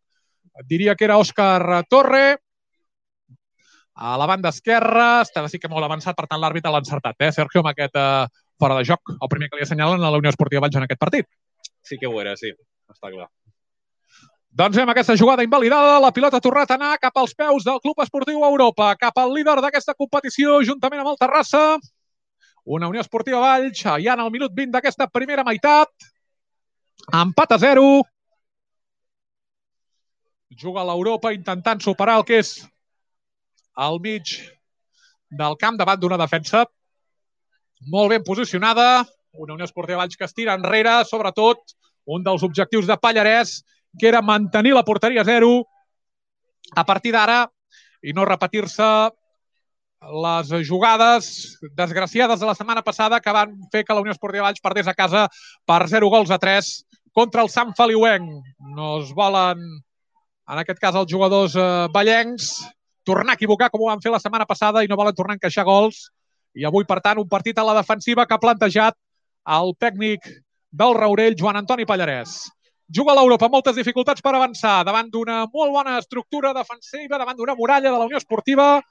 diria que era Òscar Torre, a la banda esquerra, està sí que molt avançat, per tant l'àrbitre l'ha encertat, Sergio, amb aquest fora de joc, el primer que li assenyalen a la Unió Esportiva Valls en aquest partit. Sí que ho era, sí, està clar. Doncs amb aquesta jugada invalidada, la pilota ha tornat a anar cap als peus del Club Esportiu Europa, cap al líder d'aquesta competició, juntament amb el Terrassa. Una Unió Esportiva Valls, ja en el minut 20 d'aquesta primera meitat. Empat a 0. Juga l'Europa intentant superar el que és al mig del camp davant d'una defensa molt ben posicionada. Una Unió Esportiva Valls que es tira enrere, sobretot un dels objectius de Pallarès, que era mantenir la porteria 0 a partir d'ara i no repetir-se les jugades desgraciades de la setmana passada que van fer que la Unió Esportiva Valls perdés a casa per 0-3 contra el Sant Feliuenc. No es volen, en aquest cas els jugadors vallencs, tornar a equivocar com ho van fer la setmana passada i no volen tornar a encaixar gols. I avui, per tant, un partit a la defensiva que ha plantejat el tècnic del Raurell, Joan Antoni Pallarès. Juga l'Europa amb moltes dificultats per avançar, davant d'una molt bona estructura defensiva, davant d'una muralla de la Unió Esportiva.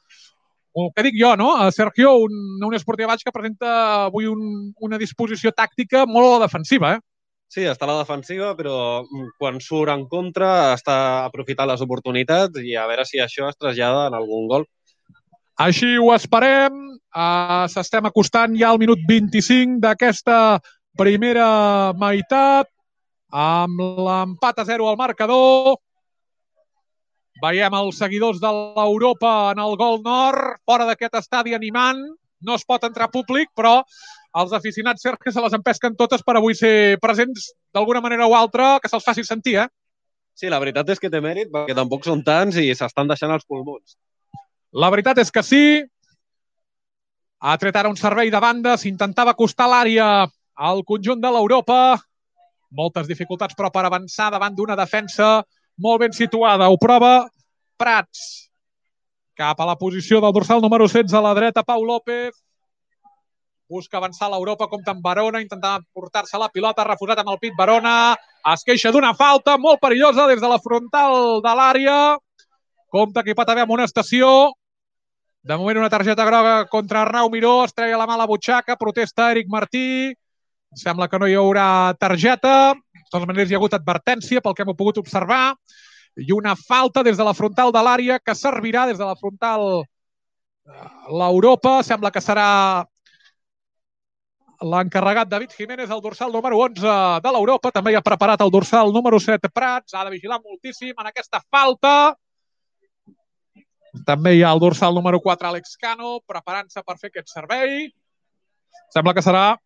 El que dic jo, no? Sergio, una Unió Esportiva Valls que presenta avui una disposició tàctica molt a la defensiva, Sí, està a la defensiva, però quan surt en contra està aprofitant les oportunitats i a veure si això es trasllada en algun gol. Així ho esperem. S'estem acostant ja al minut 25 d'aquesta primera meitat, amb l'empat a 0 al marcador. Veiem els seguidors de l'Europa en el gol nord, fora d'aquest estadi animant. No es pot entrar públic, però els aficionats Sergio se les empesquen totes per avui ser presents d'alguna manera o altra, que se'ls faci sentir, eh? Sí, la veritat és que té mèrit, perquè tampoc són tants i s'estan deixant els pulmons. La veritat és que sí. Ha tret ara un servei de banda, s'intentava acostar l'àrea al conjunt de l'Europa. Moltes dificultats, però, per avançar davant d'una defensa molt ben situada. Ho prova Prats. Cap a la posició del dorsal número 16 a la dreta, Pau López. Busca avançar l'Europa, compta amb Barona, intentant portar-se la pilota, refusat amb el pit Barona. Es queixa d'una falta molt perillosa des de la frontal de l'àrea. Compte que hi pot haver amonestació. De moment una targeta groga contra Arnau Miró, es treia la mà a la butxaca, protesta Eric Martí. Sembla que no hi haurà targeta. De totes maneres hi ha hagut advertència pel que hem pogut observar. I una falta des de la frontal de l'àrea que servirà des de la frontal l'Europa. Sembla que serà l'encarregat David Jiménez, el dorsal número 11 de l'Europa. També hi ha preparat el dorsal número 7 Prats. Ha de vigilar moltíssim en aquesta falta. També hi ha el dorsal número 4 Àlex Cano, preparant-se per fer aquest servei. Sembla que serà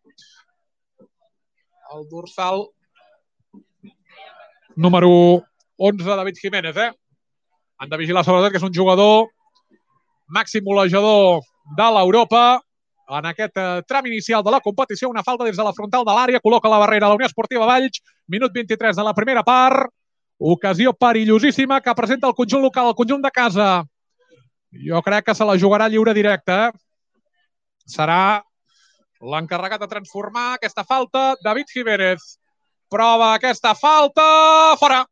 el dorsal número 11 David Jiménez, eh? Han de vigilar sobretot que és un jugador màxim golejador de l'Europa. En aquest tram inicial de la competició, una falta des de la frontal de l'àrea, col·loca la barrera a la Unió Esportiva Valls, minut 23 de la primera part, ocasió perillosíssima que presenta el conjunt local, el conjunt de casa. Jo crec que se la jugarà lliure directe. Serà l'encarregat de transformar aquesta falta, David Jiménez. Prova aquesta falta, fora.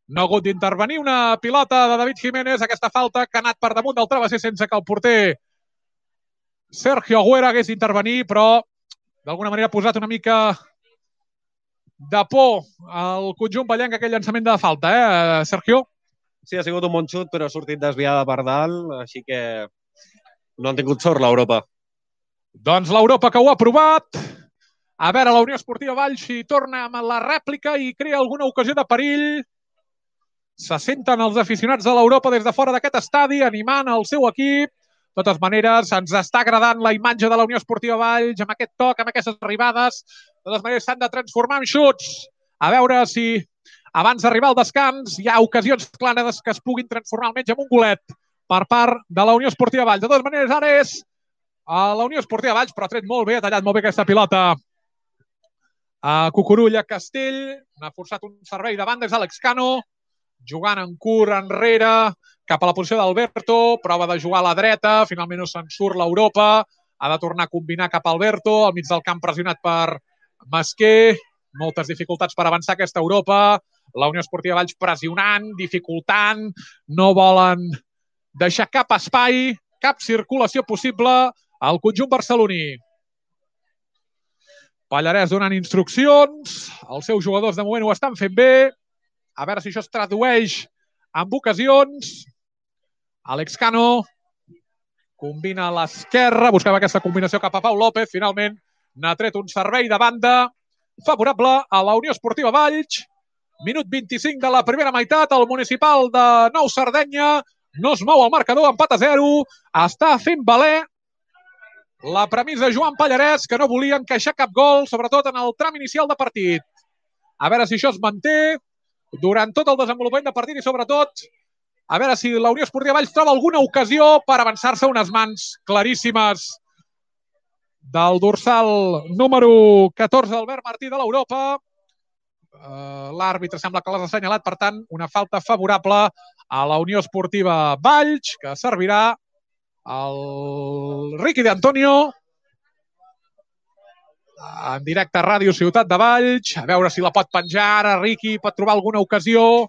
No ha hagut d'intervenir una pilota de David Jiménez, aquesta falta que ha anat per damunt del travesser sense que el porter Sergio Agüera hagués d'intervenir, però d'alguna manera ha posat una mica de por al conjunt ballenc aquell llançament de falta, Sergio? Sí, ha sigut un bon xut, però ha sortit desviada per dalt, així que no han tingut sort l'Europa. Doncs l'Europa que ho ha provat. A veure, la Unió Esportiva Valls si torna amb la rèplica i crea alguna ocasió de perill. Se senten els aficionats de l'Europa des de fora d'aquest estadi, animant el seu equip. De totes maneres, ens està agradant la imatge de la Unió Esportiva Valls, amb aquest toc, amb aquestes arribades. De totes maneres, s'han de transformar en xuts. A veure si abans d'arribar al descans hi ha ocasions clares que es puguin transformar almenys en un golet per part de la Unió Esportiva Valls. De totes maneres, ara és a la Unió Esportiva Valls, però ha tret molt bé, ha tallat molt bé aquesta pilota a Cucurulla Castell. N'ha forçat un servei de banda, és Àlex Cano, jugant en curt enrere, cap a la posició d'Alberto, prova de jugar a la dreta, finalment no se'n surt l'Europa, ha de tornar a combinar cap a Alberto, al mig del camp pressionat per Masquer, moltes dificultats per avançar aquesta Europa, la Unió Esportiva Valls pressionant, dificultant, no volen deixar cap espai, cap circulació possible al conjunt barceloní. Pallarès donant instruccions, els seus jugadors de moment ho estan fent bé, a veure si això es tradueix en ocasions. Àlex Cano combina a l'esquerra, buscava aquesta combinació cap a Pau López, finalment n'ha tret un servei de banda favorable a la Unió Esportiva Valls. Minut 25 de la primera meitat, el municipal de Nou Sardenya no es mou el marcador, empat a 0, està fent valer la premissa de Joan Pallarès, que no volia encaixar cap gol, sobretot en el tram inicial de partit. A veure si això es manté durant tot el desenvolupament de partit i sobretot a veure si la Unió Esportiva Valls troba alguna ocasió per avançar-se unes mans claríssimes del dorsal número 14 d'Albert Martí de l'Europa. L'àrbitre sembla que l'ha assenyalat, per tant, una falta favorable a la Unió Esportiva Valls, que servirà al Riqui d'Antonio en directe a Ràdio Ciutat de Valls. A veure si la pot penjar ara. Riqui pot trobar alguna ocasió.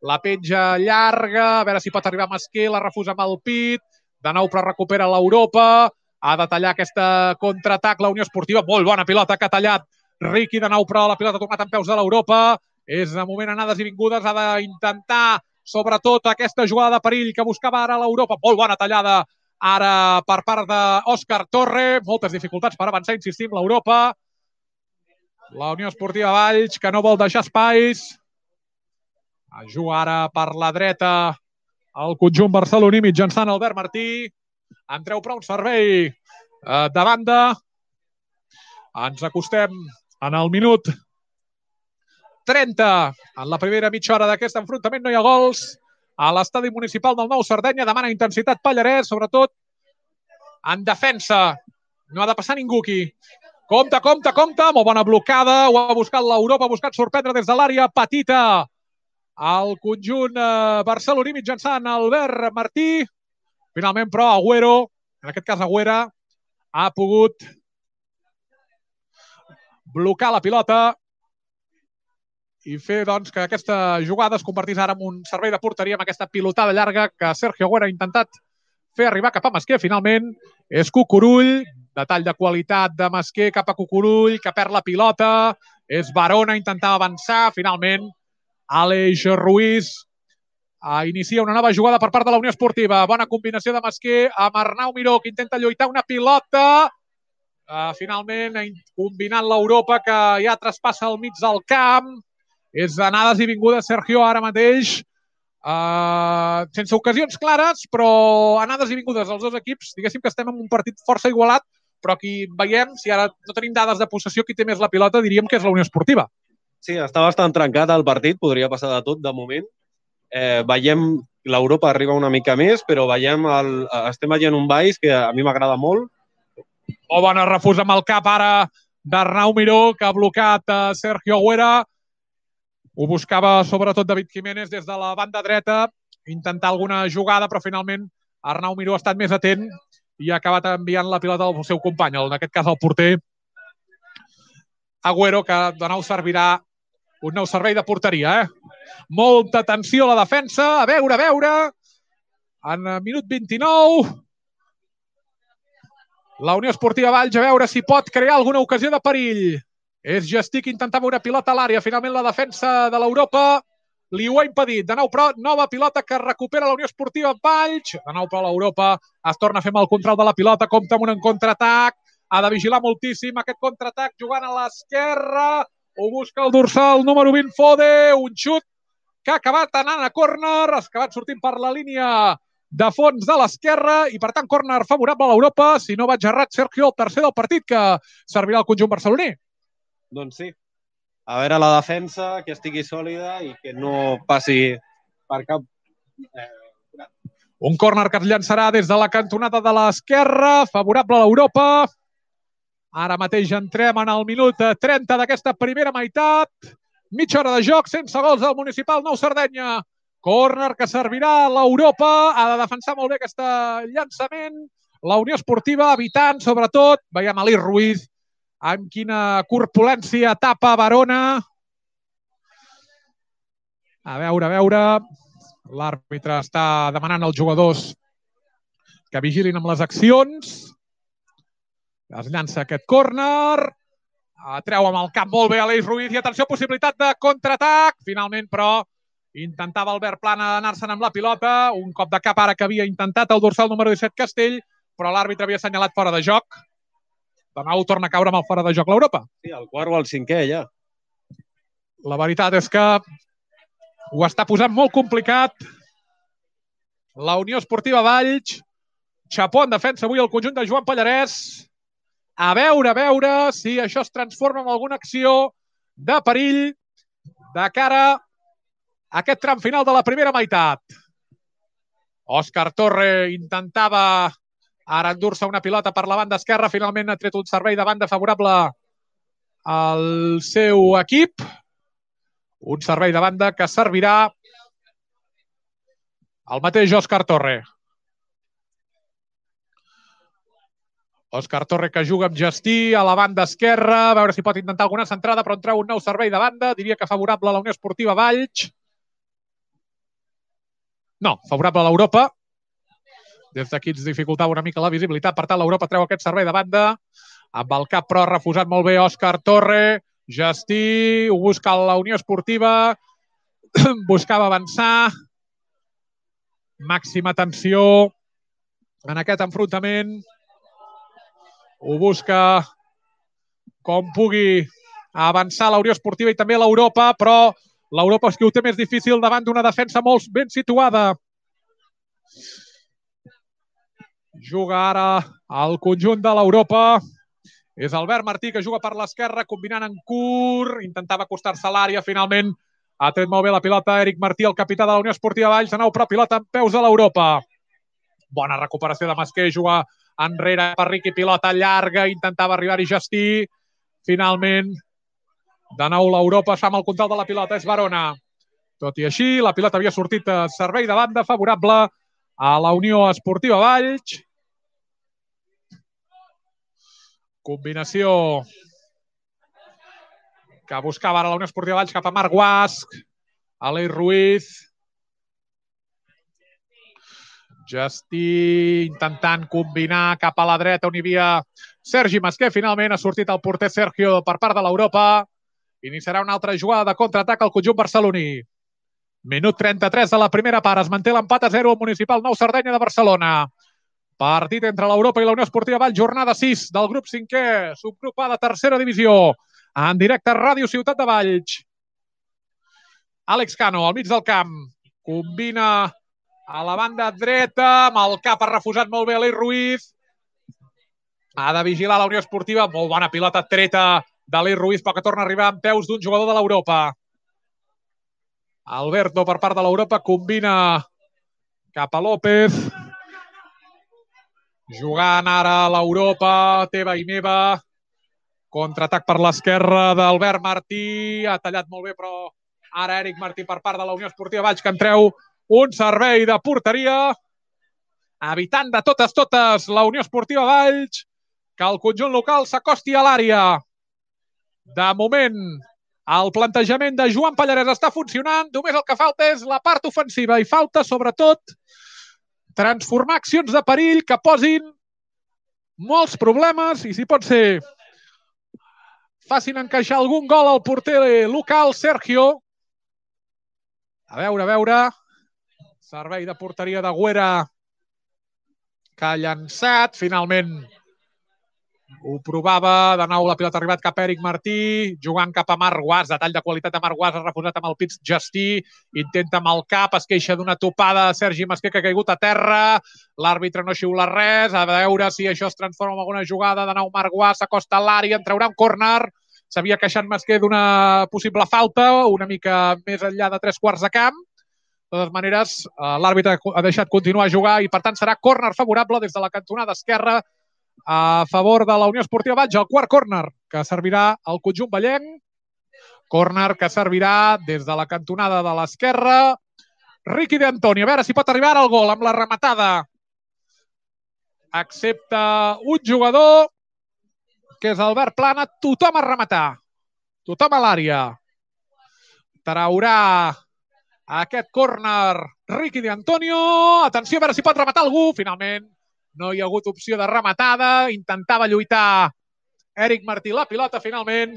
La penja llarga, a veure si pot arribar a Masquer, la refusa amb el pit. De nou, però recupera l'Europa. Ha de tallar aquesta contraatac la Unió Esportiva. Molt bona pilota que ha tallat Riqui de nou, però la pilota ha tornat en peus de l'Europa. És de moment anades i vingudes, ha d'intentar sobretot aquesta jugada de perill que buscava ara l'Europa. Molt bona tallada ara per part d'Òscar Torre. Moltes dificultats per avançar, insistim, l'Europa. La Unió Esportiva Valls, que no vol deixar espais. Juga ara per la dreta el conjunt barceloní mitjançant Albert Martí. En treu prou un servei de banda. Ens acostem en el minut 30. En la primera mitja hora d'aquest enfrontament no hi ha gols. A l'estadi municipal del Nou Sardenya demana intensitat Pallarès, sobretot en defensa. No ha de passar ningú aquí. Compte, compte, compte. Molt bona blocada. Ho ha buscat l'Europa, ha buscat sorprendre des de l'àrea petita al conjunt barceloní mitjançant Albert Martí. Finalment, però, Agüero, en aquest cas Agüera, ha pogut blocar la pilota i fer doncs, que aquesta jugada es convertís ara en un servei de porteria amb aquesta pilotada llarga que Sergio Agüera ha intentat fer arribar cap a Masquer. Finalment és Cucurull, detall de qualitat de Masquer cap a Cucurull, que perd la pilota. És Barona, intentava avançar. Finalment, Àlex Ruiz inicia una nova jugada per part de la Unió Esportiva. Bona combinació de Masquer amb Arnau Miró, que intenta lluitar una pilota. Finalment, combinant l'Europa, que ja traspassa el mig del camp. És anades i vingudes, Sergio, ara mateix. Sense ocasions clares, però anades i vingudes als dos equips. Diguéssim que estem en un partit força igualat, però aquí veiem, si ara no tenim dades de possessió, qui té més la pilota, diríem que és la Unió Esportiva. Sí, està bastant trencat el partit, podria passar de tot de moment. Veiem l'Europa arriba una mica més, però estem veient un Valls que a mi m'agrada molt. Molt bona refús amb el cap ara d'Arnau Miró, que ha blocat Sergio Agüera. Ho buscava sobretot David Jiménez des de la banda dreta, intentar alguna jugada, però finalment Arnau Miró ha estat més atent i ha acabat enviant la pilota al seu company, en aquest cas el porter Agüero, que de nou servirà un nou servei de porteria. Molta atenció a la defensa, a veure, en minut 29, la Unió Esportiva Valls, a veure si pot crear alguna ocasió de perill. És Gestí que intentava una pilota a l'àrea. Finalment la defensa de l'Europa li ho ha impedit. De nou, però, nova pilota que recupera la Unió Esportiva Valls. De nou, però, l'Europa es torna a fer amb el control de la pilota. Compta amb un contraatac. Ha de vigilar moltíssim aquest contraatac jugant a l'esquerra. Ho busca el dorsal número 20, Fode. Un xut que ha acabat anant a córner. Ha acabat sortint per la línia de fons de l'esquerra i, per tant, córner favorable a l'Europa. Si no vaig errat, Sergio, el tercer del partit que servirà al conjunt barceloní. Doncs sí. A veure la defensa, que estigui sòlida i que no passi per cap... Un córner que es llançarà des de la cantonada de l'esquerra, favorable a l'Europa. Ara mateix entrem en el minut 30 d'aquesta primera meitat. Mitja hora de joc, sense gols del Municipal Nou Sardenya. Córner que servirà a l'Europa. Ha de defensar molt bé aquest llançament. La Unió Esportiva evitant, sobretot, veiem Àlex Ruiz, amb quina corpulència tapa Barona. A veure. L'àrbitre està demanant als jugadors que vigilin amb les accions. Es llança aquest córner. Treu amb el cap molt bé Àlex Ruiz i atenció, possibilitat de contraatac. Finalment, però, intentava Albert Plana anar-se'n amb la pilota. Un cop de cap ara que havia intentat el dorsal número 17 Castell, però l'àrbitre havia assenyalat fora de joc. De nou torna a caure amb el fora de joc l'Europa. Sí, el quart o el cinquè, ja. La veritat és que ho està posant molt complicat. La Unió Esportiva Valls. Xapó en defensa avui el conjunt de Joan Pallarès. A veure si això es transforma en alguna acció de perill de cara a aquest tram final de la primera meitat. Òscar Torre intentava ara endur-se una pilota per la banda esquerra. Finalment ha tret un servei de banda favorable al seu equip. Un servei de banda que servirà al mateix Òscar Torre. Òscar Torre que juga amb Gestí a la banda esquerra. A veure si pot intentar alguna centrada, però en treu un nou servei de banda. Diria que favorable a la Unió Esportiva Valls. No, favorable a l'Europa. Des d'aquí ens dificultava una mica la visibilitat. Per tant, l'Europa treu aquest servei de banda. amb el cap però ha refusat molt bé Òscar Torre. Gestí, ho busca la Unió Esportiva, buscava avançar. Màxima tensió en aquest enfrontament. Ho busca com pugui avançar la Unió Esportiva i també l'Europa, però l'Europa és que ho té més difícil davant d'una defensa molt ben situada. Juga ara el conjunt de l'Europa. És Albert Martí, que juga per l'esquerra, combinant en curt, intentava acostar-se a l'àrea, finalment ha tret molt bé la pilota Eric Martí, el capità de la Unió Esportiva Valls, de nou però pilota en peus a l'Europa. Bona recuperació de Masquer, juga enrere per Riqui, pilota llarga, intentava arribar-hi Gestí, finalment de nou l'Europa fa amb el control de la pilota, és Barona. Tot i així, la pilota havia sortit a servei de banda favorable a la Unió Esportiva Valls. Combinació que buscava ara la Unió Esportiva Valls cap a Marc Guasc, Aleix Ruiz. Gestí intentant combinar cap a la dreta on hi havia Sergi Masquer. Finalment ha sortit el porter Sergio per part de l'Europa. Iniciarà una altra jugada de contraatac al conjunt barceloní. Minut 33 de la primera part. Es manté l'empat a 0 al Municipal Nou Sardenya de Barcelona. Partit entre l'Europa i la Unió Esportiva Valls, jornada 6 del grup 5è, subgrup A de tercera divisió, en directe a Ràdio Ciutat de Valls. Àlex Cano, al mig del camp, combina a la banda dreta, amb el cap ha refusat molt bé Aleix Ruiz. Ha de vigilar la Unió Esportiva, molt bona pilota treta d'Aleix Ruiz, però que torna a arribar en peus d'un jugador de l'Europa. Alberto, per part de l'Europa, combina cap a López. Jugant ara l'Europa, teva i meva. Contraatac per l'esquerra d'Albert Martí. Ha tallat molt bé, però ara Eric Martí per part de la Unió Esportiva Valls, que en treu un servei de porteria. Evitant de totes la Unió Esportiva Valls que el conjunt local s'acosti a l'àrea. De moment, el plantejament de Joan Pallarès està funcionant. Només el que falta és la part ofensiva i falta, sobretot, transformar accions de perill que posin molts problemes i, si pot ser, facin encaixar algun gol al porter local, Sergio. A veure. Servei de porteria de Güera, que ha llançat. Finalment ho provava. De nou la pilota ha arribat cap a Eric Martí, jugant cap a Marc Guas. Detall de qualitat de Marc Guas, ha refusat amb el pit Gestí. Intenta amb el cap, es queixa d'una topada de Sergi Masquer, que ha caigut a terra. L'àrbitre no xiula res. A veure si això es transforma en alguna jugada. De nou Marc Guas s'acosta a l'àrea, en traurà un córner. S'havia queixat Masquer d'una possible falta, una mica més enllà de 3/4 de camp. De totes maneres, l'àrbitre ha deixat continuar a jugar i, per tant, serà córner favorable des de la cantonada esquerra a favor de la Unió Esportiva Valls. El quart córner que servirà al conjunt vallenc. Córner que servirà des de la cantonada de l'esquerra. Riqui de Antoni, a veure si pot arribar al gol amb la rematada. Excepte un jugador, que és Albert Plana, tothom a rematar. Tothom a l'àrea. Traurà aquest córner Riqui de Antonio. Atenció, a veure si pot rematar algú. Finalment no hi ha hagut opció de rematada. Intentava lluitar Eric Martí. La pilota finalment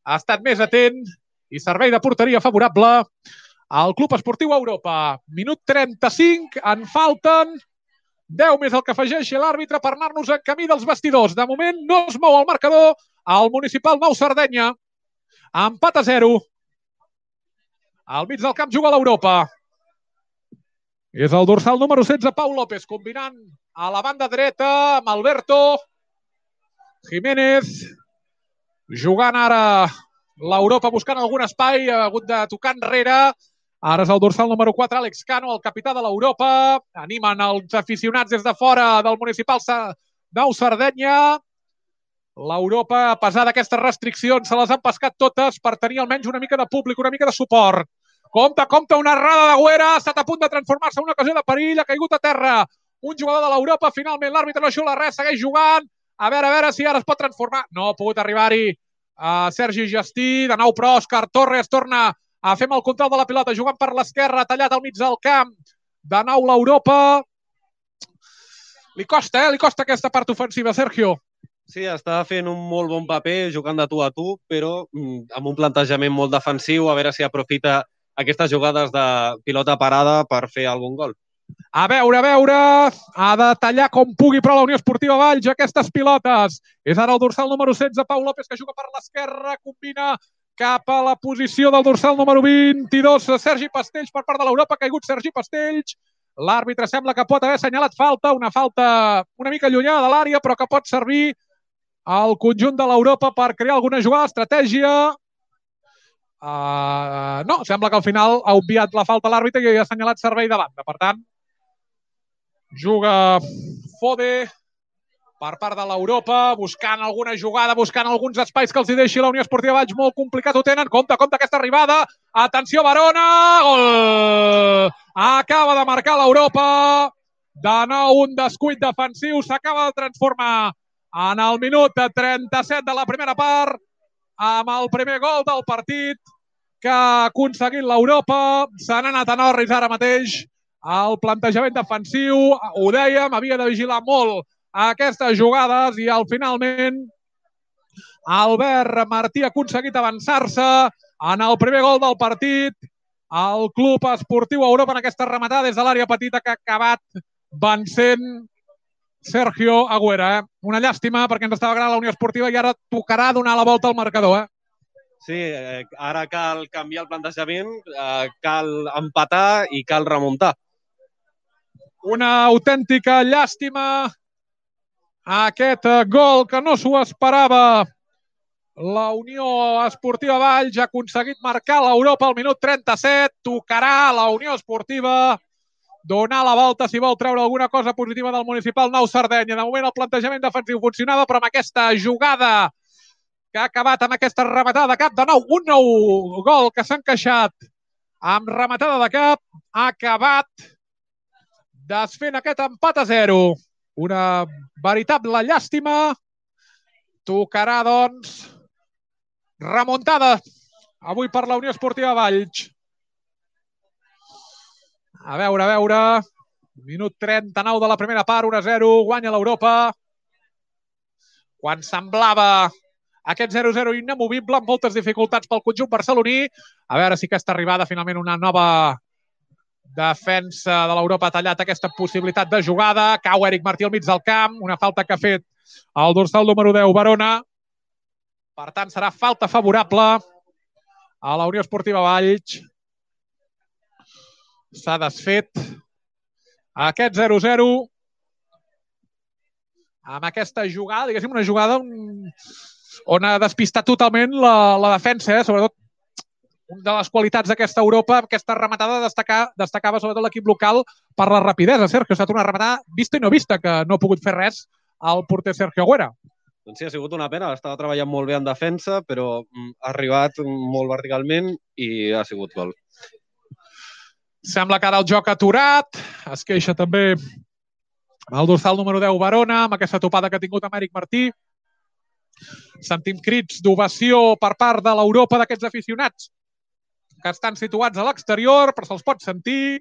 ha estat més atent i servei de porteria favorable al Club Esportiu Europa. Minut 35, en falten 10 més el que afegeixi l'àrbitre per anar-nos en camí dels vestidors. De moment no es mou el marcador al Municipal Nou Sardenya. Empat a 0. Al mig del camp juga l'Europa. És el dorsal número 16, Pau López, combinant a la banda dreta amb Alberto Jiménez. Jugant ara l'Europa, buscant algun espai, ha hagut de tocar enrere. Ara és el dorsal número 4, Àlex Cano, el capità de l'Europa. Animen els aficionats des de fora del Municipal Nou Sardenya. L'Europa, a pesar d'aquestes restriccions, se les han pescat totes per tenir almenys una mica de públic, una mica de suport. Compte, una errada de Güera, ha estat a punt de transformar-se en una ocasió de perill, ha caigut a terra un jugador de l'Europa. Finalment l'àrbitre no xiula res, segueix jugant. A veure si ara es pot transformar. No ha pogut arribar-hi Sergi Gestí. De nou, però, Òscar Torres torna a fer el control de la pilota, jugant per l'esquerra, tallat al mig del camp. De nou l'Europa. Li costa aquesta part ofensiva, Sergio. Sí, està fent un molt bon paper jugant de tu a tu, però amb un plantejament molt defensiu, a veure si aprofita aquestes jugades de pilota parada per fer algun gol. A veure, ha de tallar com pugui, però la Unió Esportiva Valls aquestes pilotes. És ara el dorsal número 16, Pau López, que juga per l'esquerra, combina cap a la posició del dorsal número 22, Sergi Pastells per part de l'Europa, ha caigut Sergi Pastells. L'àrbitre sembla que pot haver assenyalat falta, una falta una mica allunyada de l'àrea, però que pot servir al conjunt de l'Europa per crear alguna jugada, estratègia. No, sembla que al final ha obviat la falta l'àrbitre i ha assenyalat servei de banda. Per tant, juga Fode per part de l'Europa, buscant alguna jugada, buscant alguns espais que els hi deixi la Unió Esportiva Valls. Molt complicat ho tenen. Compte aquesta arribada. Atenció, Barona! Gol! Acaba de marcar l'Europa. De nou un descuit defensiu. S'acaba de transformar en el minut 37 de la primera part amb el primer gol del partit que ha aconseguit l'Europa. Se n'ha anat a Norris ara mateix. El plantejament defensiu, ho dèiem, havia de vigilar molt aquestes jugades i finalment Albert Martí ha aconseguit avançar-se en el primer gol del partit. El Club Esportiu Europa en aquesta rematada des de l'àrea petita que ha acabat vencent Sergio Agüera. Una llàstima perquè ens estava agradant la Unió Esportiva i ara tocarà donar la volta al marcador. Sí, ara cal canviar el plantejament, cal empatar i cal remuntar. Una autèntica llàstima aquest gol que no s'ho esperava. La Unió Esportiva Valls ha aconseguit marcar l'Europa al minut 37. Tocarà la Unió Esportiva donar la volta si vol treure alguna cosa positiva del Municipal Nou Sardenya. De moment el plantejament defensiu funcionava, però amb aquesta jugada que ha acabat amb aquesta rematada de cap, de nou un nou gol que s'ha encaixat amb rematada de cap, ha acabat desfent aquest empat a 0. Una veritable llàstima. Tocarà, doncs, remuntada avui per la Unió Esportiva Valls. A veure. Minut 39 de la primera part, 1-0, guanya l'Europa. Quan semblava aquest 0-0 inamovible, amb moltes dificultats pel conjunt barceloní. A veure si aquesta arribada, finalment, una nova defensa de l'Europa ha tallat aquesta possibilitat de jugada. Cau Eric Martí al mig del camp, una falta que ha fet el dorsal número 10, Barona. Per tant, serà falta favorable a la Unió Esportiva Valls. S'ha desfet aquest 0-0 amb aquesta jugada, diguéssim, una jugada on ha despistat totalment la defensa, sobretot una de les qualitats d'aquesta Europa, aquesta rematada destacava sobretot l'equip local per la rapidesa. Sergio, ha estat una rematada vista i no vista, que no ha pogut fer res al porter Sergio Agüera. Doncs sí, ha sigut una pena. Estava treballant molt bé en defensa, però ha arribat molt verticalment i ha sigut gol. Sembla que ara el joc ha aturat. Es queixa també el dorsal número 10, Barona, amb aquesta topada que ha tingut amb Eric Martí. Sentim crits d'ovació per part de l'Europa d'aquests aficionats que estan situats a l'exterior, però se'ls pot sentir.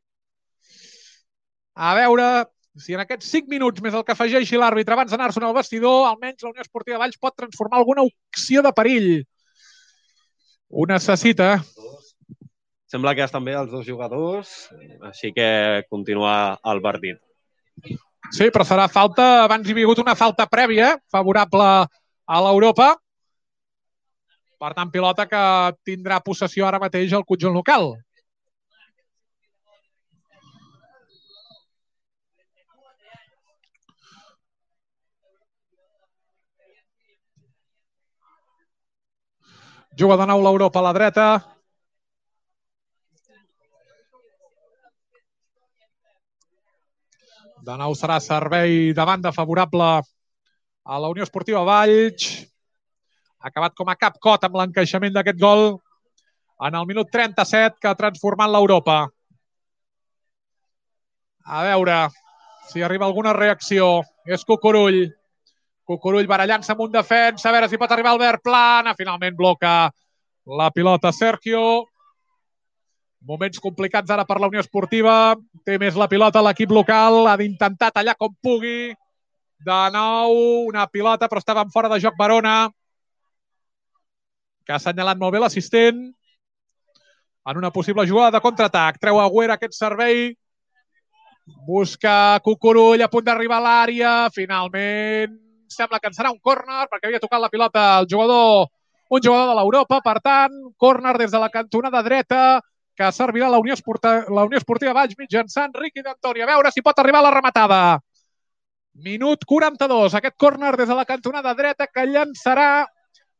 A veure si en aquests 5 minuts més el que afegeixi l'àrbitre abans d'anar-se'n al vestidor, almenys la Unió Esportiva Valls pot transformar alguna opció de perill. Ho necessita. Sembla que estan bé els dos jugadors, així que continua el partit. Sí, però serà falta, abans hi havia hagut una falta prèvia favorable a l'Europa. Per tant, pilota que tindrà possessió ara mateix el conjunt local. Juga de nou l'Europa a la dreta. De nou serà servei de banda favorable a la Unió Esportiva Valls. Ha acabat com a cap cot amb l'encaixament d'aquest gol en el minut 37 que ha transformat l'Europa. A veure si arriba alguna reacció. És Cucurull. Cucurull barallant-se amb un defensa. A veure si pot arribar Albert Plana. Finalment bloca la pilota Sergio. Moments complicats ara per la Unió Esportiva. Té més la pilota l'equip local. Ha d'intentar tallar com pugui. De nou, una pilota, però estava en fora de joc Barona, que ha assenyalat molt bé l'assistent en una possible jugada de contraatac. Treu Agüera aquest servei, busca Cucurull a punt d'arribar a l'àrea, finalment sembla que en serà un córner perquè havia tocat la pilota un jugador de l'Europa, per tant, córner des de la cantonada dreta que servirà la Unió Esportiva Valls mitjançant Riqui d'Antoni. A veure si pot arribar a la rematada. Minut 42, aquest córner des de la cantonada dreta que llançarà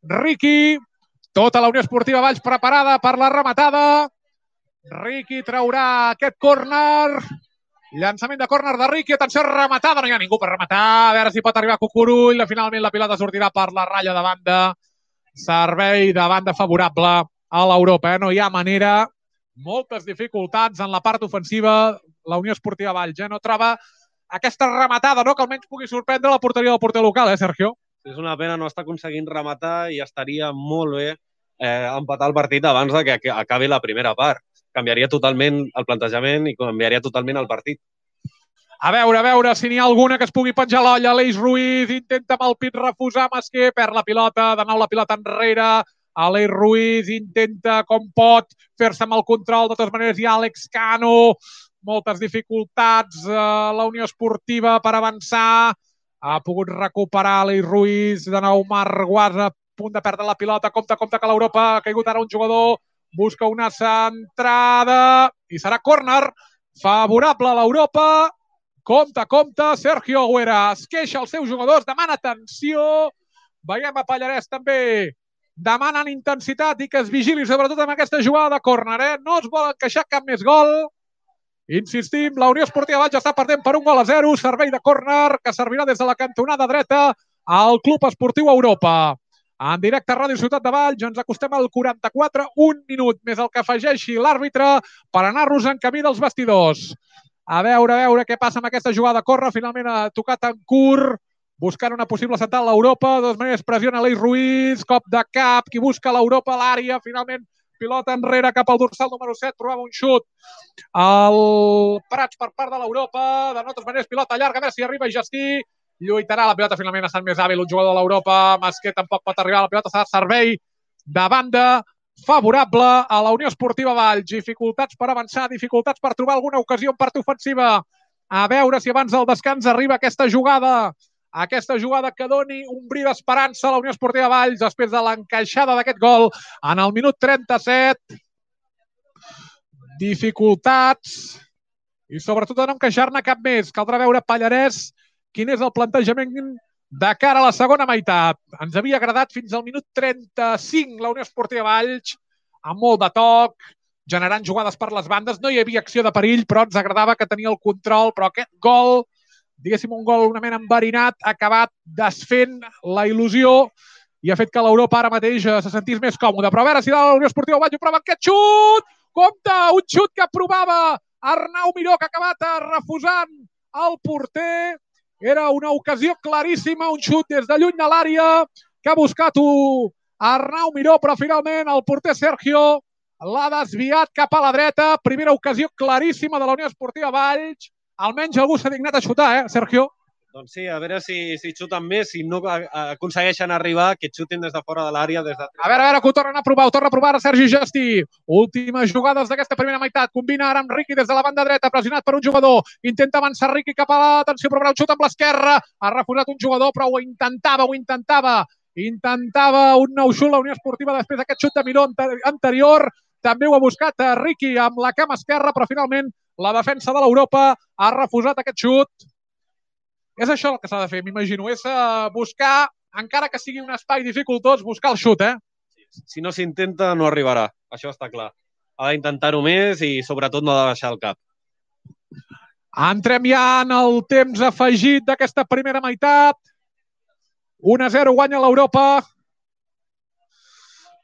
Riqui. Tota la Unió Esportiva Valls preparada per la rematada. Riqui traurà aquest córner. Llançament de córner de Riqui. Atenció, rematada. No hi ha ningú per rematar. A veure si pot arribar Cucurull. Finalment la pilota sortirà per la ratlla de banda. Servei de banda favorable a l'Europa. No hi ha manera. Moltes dificultats en la part ofensiva. La Unió Esportiva Valls no troba aquesta rematada, no? Que almenys pugui sorprendre la porteria del porter local, Sergio? És una pena no estar aconseguint rematar i estaria molt bé empatar el partit abans de que acabi la primera part. Canviaria totalment el plantejament i canviaria totalment el partit. A veure si n'hi ha alguna que es pugui penjar l'olla. Aleix Ruiz intenta amb el pit refusar Masquer, perd la pilota, de nou la pilota enrere. Aleix Ruiz intenta com pot fer-se amb el control. De totes maneres hi ha Àlex Cano. Moltes dificultats a la Unió Esportiva per avançar. Ha pogut recuperar Aleix Ruiz. De nou Marc Guasa a punt de perdre la pilota. Compte que l'Europa ha caigut ara un jugador. Busca una centrada i serà córner favorable a l'Europa. Compte, Sergio Agüera es queixa als seus jugadors, demana atenció. Veiem a Pallarès també demanen intensitat i que es vigili sobretot amb aquesta jugada de córner. No es volen queixar cap més gol. Insistim, la Unió Esportiva Valls està perdent per 1-0. Servei de córner que servirà des de la cantonada dreta al Club Esportiu Europa. En directe a Ràdio Ciutat de Valls ens acostem al 44, un minut més el que afegeixi l'àrbitre per anar-nos en camí dels vestidors. A veure què passa amb aquesta jugada de córner. Finalment ha tocat en curt, buscant una possible central a l'Europa. De totes maneres pressiona Aleix Ruiz, cop de cap, qui busca l'Europa a l'àrea. Finalment pilota enrere cap al dorsal número 7, trobava un xut al Prats per part de l'Europa. De totes maneres pilota llarga, a veure si arriba Gestí. Lluitarà la pilota, finalment ha estat més hàbil un jugador de l'Europa. Masquer tampoc pot arribar a la pilota, serà servei de banda favorable a la Unió Esportiva Valls. Dificultats per avançar, dificultats per trobar alguna ocasió en part ofensiva. A veure si abans del descans arriba aquesta jugada que doni un bri d'esperança a la Unió Esportiva Valls després de l'encaixada d'aquest gol en el minut 37. Dificultats i sobretot de no encaixar-ne cap més. Caldrà veure Pallarès quin és el plantejament de cara a la segona meitat. Ens havia agradat fins al minut 35 la Unió Esportiva Valls, amb molt de toc, generant jugades per les bandes. No hi havia acció de perill, però ens agradava que tenia el control. Però aquest gol, diguéssim, un gol una mena enverinat, ha acabat desfent la il·lusió i ha fet que l'Europa ara mateix se sentís més còmode. Però a veure si la Unió Esportiva Valls ho prova aquest xut! Compte, un xut que provava Arnau Miró, que ha acabat refusant el porter. Era una ocasió claríssima, un xut des de lluny de l'àrea que ha buscat Arnau Miró, però finalment el porter Sergio l'ha desviat cap a la dreta. Primera ocasió claríssima de la Unió Esportiva Valls. Almenys algú s'ha dignat a xutar, Sergio? Doncs sí, a veure si xuten més, si no aconsegueixen arribar, que xutin des de fora de l'àrea. A veure, que ho tornen a provar, ara Sergi Gestí. Últimes jugades d'aquesta primera meitat. Combina ara amb Riqui des de la banda dreta, pressionat per un jugador. Intenta avançar Riqui cap a l'atenció, provarà un xut amb l'esquerra. Ha refusat un jugador, però ho intentava. Intentava un nou xut la Unió Esportiva després d'aquest xut de Miró anterior. També ho ha buscat Riqui amb la cama esquerra, però finalment la defensa de l'Europa ha refusat aquest xut. És això el que s'ha de fer, m'imagino, és buscar, encara que sigui un espai dificultós, buscar el xut, Si no s'intenta, no arribarà, això està clar. Ha d'intentar-ho més i, sobretot, no ha de baixar el cap. Entrem ja en el temps afegit d'aquesta primera meitat. 1-0 guanya l'Europa.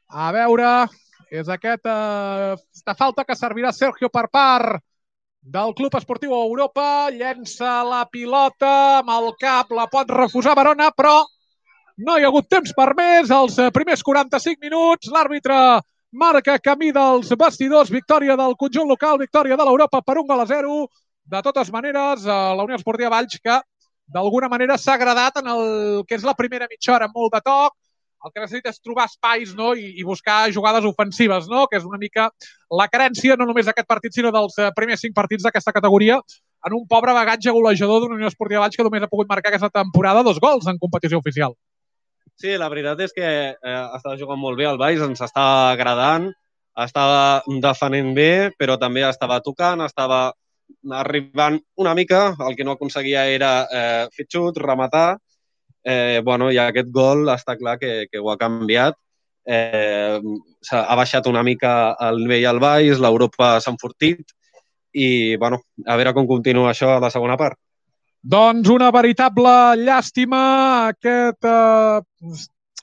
A veure, és aquesta falta que servirà Sergio per part del Club Esportiu Europa. Llença la pilota amb el cap, la pot refusar Barona, però no hi ha hagut temps per més. Els primers 45 minuts, l'àrbitre marca camí dels vestidors. Victòria del conjunt local, victòria de l'Europa per 1-0. De totes maneres, la Unió Esportiva Valls, que d'alguna manera s'ha agradat en el que és la primera mitja hora, molt de toc, el que necessita és trobar espais, no? I buscar jugades ofensives, no? Que és una mica la carència no només d'aquest partit, sinó dels primers 5 partits d'aquesta categoria, en un pobre bagatge golejador d'una Unió Esportiva Valls que només ha pogut marcar aquesta temporada 2 gols en competició oficial. Sí, la veritat és que estava jugant molt bé el Valls, ens estava agradant, estava defenent bé, però també estava tocant, estava arribant una mica, el que no aconseguia era fer xut, rematar, i aquest gol està clar que ho ha canviat. Ha baixat una mica el nivell al Valls, l'Europa s'ha enfortit i, a veure com continua això a la segona part. Doncs una veritable llàstima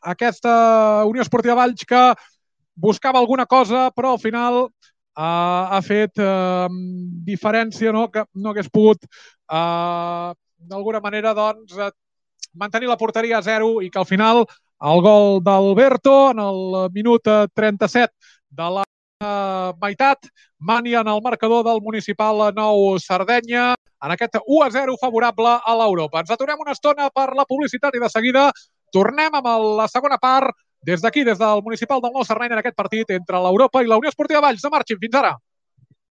aquesta Unió Esportiva Valls que buscava alguna cosa, però al final ha fet diferència, no? Que no hagués pogut d'alguna manera mantenir la porteria a 0 i que al final el gol d'Alberto en el minut 37 de la meitat mania en el marcador del Municipal Nou Sardenya en aquest 1-0 favorable a l'Europa. Ens aturem una estona per la publicitat i de seguida tornem amb la segona part des d'aquí, des del Municipal del Nou Sardenya en aquest partit entre l'Europa i la Unió Esportiva Valls. No marxin, fins ara.